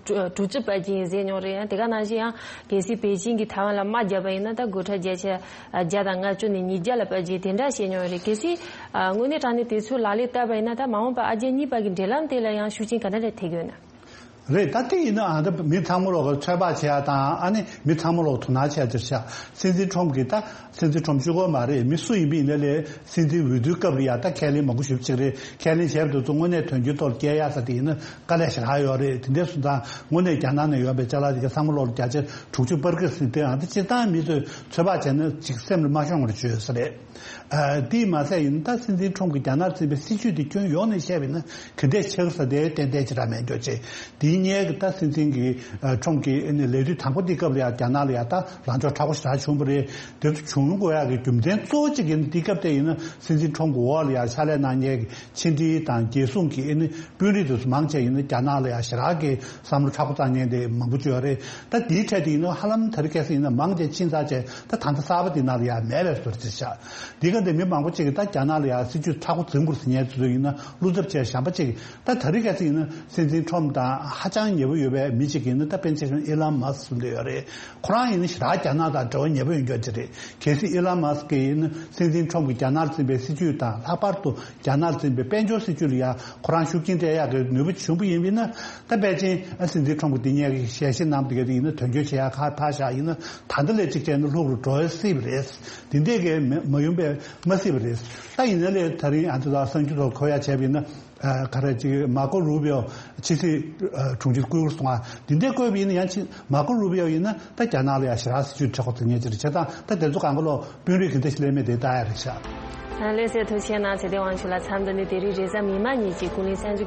དྲུག་ཅུ་སྤར་གྱི་ཡིན་ཟེར་མྱོང་རེད། ཡང་དེ་ག་ནང་བཞིན་ཡང་གལ་སྲིད་པེ་ཅིང་གིས་ཐའེ་ཝན་ལ་དམག་བརྒྱབ་པ་ཡིན་ན་ད་སྒོ་ཁྲལ་བརྒྱ་ཆ་བརྒྱ་དང་ལྔ་བཅུ་ནས་ཉིས་བརྒྱ་ལ་སྤར་གྱི་ཡིན་དེ་འདྲ་བཤད་མྱོང་རེད། གལ་སྲིད་ཨ་དངོས་གནས་དྲང་གནས་དེ་ཚོའི་ལག་ལེན་བསྟར་བ་ཡིན་ན་ད་མ་འོངས་པར་ཨ་རྒྱ་གཉིས་བར་གྱི་འབྲེལ་ལམ་དེ་ལ་ཡང་ཤུགས་རྐྱེན་ག་འདྲ་འདྲ་ཐེབས་ཀྱི་ཡོད་ན། རེད། ད་དེ་ཡིན་ན་ཨ་ད་མི་ཚང་མ་ལོག་གི་ཚོད་དཔག་བྱེད་ཡ་དང་། ཨ་ནི་མི་ཚང་མ་ལོག་དོ་སྣང་བྱེད་ཡ་དེ་ཆགས། སྲིད་འཛིན་ཁྲོམ་གྱིས་ད་སྲིད་འཛིན་ཁྲོམ་གཅིག་པོ་མ་རེད། མི་སུ་ཡིན་པ་ཡིན་ནའི་ལས་སྲིད་འཛིན་འོས་བསྡུའི་སྐབས་ལ་ཡ་ད་ཁས་ལེན་མང་པོ་ཞེ་པོ་ཅིག་རེད། ཁས་ལེན་བྱས་པ་དེ་ཚོ་དངོས་གནས་དོན་འཁྱོལ་ཐོག་སྐྱེལ་ཡ་ས་དེ་ཡིན་ན་དཀའ་ལས་ཞེ་དྲག་ཡོད་རེད། དེ་འདྲ་སོང་ཙང་དངོས་གནས་རྒྱ་ནག་ནས་ཡོང་པའི་ཅ་ལག་དེ་ག་ཚང་མ་ལོག་ལ་བརྒྱ་ཆ་དྲུག་ཅུ་སྤར་གི་ཟེར་དེ། ཨ་ད་སྤྱིར་བཏང་མི་ཚོས་ཚོད་དཔག་བྱས་ན་ཅིག་སེམས་ལ་མ་ཤོང་བར་བྱོས་ས་རེད། ཨ་དེས་མ་ཟད་ཡིན་ད་སྲིད་འཛིན་ཁྲོམ་གྱིས་རྒྱ་ནག་འཛིན་པའི་སྲིད་ཇུས་དེ་ཁྱོན་ཡོངས་ནས་བཤད་པ་ཡིན་ན་ག་འདྲས་ཆགས་ས་དེ་ཏན་ཏན་ཅིག་ར་མེད་འགྱོ་ཅེས་དེ། ཡིན་ནའི་གི་ད་སྲིད་འཛིན་གྱི་ཨ་ཁྲོམ་གྱི་ཨ་ནི་ལས་དུས་དང་པོ་དེ་སྐབས་ལ་ཡང་རྒྱ་ནག་ལ་ཡང་ད་ལངས་ཕྱོགས་མཁྲེགས་པོ་ཞེ་དྲག་བྱུང་བ་རེད། དེ་ཚོ་བྱུང་དགོས་ཡག་གི་རྒྱུ་མཚན་གཙོ་བོ་གཅིག་ཡིན་ན་དེ་སྐབས་དེ་ཡིན་ན་སྲིད་འཛིན་ཁྲོམ་གྱི་འོག་ལ་ཡང་ཕྱག་ལས་གནང་མཁན་གྱི་ཕྱི་འབྲེལ་དང་རྒྱལ་སྲུང་གི་ཨ་ནི་དཔོན་རིགས་དེ་ཚོ་མང་ཆེ་ཡིན་ན་རྒྱ་ནག་ལ་ཡང་ཞེ་དྲག་གི་བསམ་བློ་མཁྲེགས་པོ་བཏང་མཁན་དེ་མང་པོ་བྱུང་ཡོད་རེད། ད་དེའི་གྲས་དེ་ཡིན་ན་ཧ་ལམ་དེ་རིང་ཁ་སང་ཡིན་ན་མང་ཆེ་ཕྱིན་ཚར་བྱས་ད་ད་ལྟ་གསར་པ་དེ་ནང་ལ་ཡང་མེད་པའི་བཟོ་འདྲ་ཅིག་ཆགས། འདི་ག་འདི་མི་མང་པོ་ཅིག་གིས་ད་རྒྱ་ནག་ལ་ཡང་སྲིད་ཇུས་མཁྲེགས་པོ་འཛིན་དགོས་ཟེར་མཁན་དེ་ཚོ་ཡིན་ན་བློ་འཚབ་བྱས་གཞན་པ་ཅིག་གིས། ད་དེ་རིང་ཁ་སང་ཡིན་ན་སྲིད་འཛིན་ཁྲོམ་དང་ཧ་ཅང་ཉེ་པོ་ཡོད་པའི་མི་ཅིག་ཡིན་ན་ད་པཎ་ཆེན་ཨི་ལན་མཱ་སི་ཟེར་འདི་ཡོད་རེད། ཁོ་རང་ཡིན་ན་ཞེ་དྲག་རྒྱ་ནག་དང་འབྲེལ་བ་ཉེ་པོ་ཡོད་མཁན་ཅིག་རེད། གལ་སྲིད་ཨི་ལན་མཱ་སི་ཡིན་ན་སྲིད་འཛིན་ཁྲོམ་གྱིས་རྒྱ་ནག་ལ་འཛིན་པའི་སྲིད་ཇུས་དང་ལྷག་པར་དུ་རྒྱ་ནག་ལ་འཛིན་པའི་དཔལ་འབྱོར་སྲིད་ཇུས་ལ་ཡང་ཁོ་རང་ཤུགས་རྐྱེན་སྤྲད་ཡག་གི་ནུས་པ་བྱུང་བ་ཡིན་པ་ཡིན་ན། ད་པེ་ཅིན་ཨ་སྲིད་འཛིན་ཁྲོམ་གྱིས་འདི་སྔོན་གྱི་ཞལ་བཞེས་གནང་བསྡད་མཁན་དེ་ཡིན་ན་དོན་འཁྱོལ་བྱེད་ཡག་ཁ་ཕར་བཞག་ཡིན་ན་ད་ལྟ་ལས་གཅིག་བྱས་ན་ལྷུག་རུ་འགྲོ་སྲིད་པ་རེད། འདི་འདྲས་ཀྱི་མ་མ་ཡོང་པའི་མ་སྲིད་པ་རེད། ད་ཡིན་ན་ལས་དེ་རིང་ཨ་ཚོ་ལ་གསར་འགྱུར་ཐོག་གོ་ཡག་བྱས་པ་ཡིན་ན། ཨ་ག་རེ་ཅིག་མར་ཀོ་རུ་པིའོ་ཕྱི་སྲིད་ཨ་དྲུང་ཆེར་བསྐོས་སོང་ང་། འདི་འདྲས་བསྐོས་པ་ཡིན་ན་ཡང་ཅིག་མར་ཀོ་རུ་པིའོ་ཡིན་ན་ད་རྒྱ་ནག་ལ་ཡང་ཞེ་དྲག་སྲིད་ཇུས་མཁྲེགས་པོ་འཛིན་མཁན་ཅིག་རེད། བྱས་ཙང་ད་དེ་ཚོ་གང་ག་ལོ་དཔོན་རིགས་ག་འདྲ་ཞིག་སླེབས་མེད་དེ་ལྟ་ཡག་རེད་ཤག་ལགས་སོ། ཐུགས་རྗེ་གནང་། ཚེ་བརྟན་དབང་ཕྱུག་ལགས། མཚམས་འདི་ནས་དེ་རིང་རེས་གཟའ་མིག་དམར་ཉིན་གྱི་ཀུན་གླེང་གསར་འགྱུར།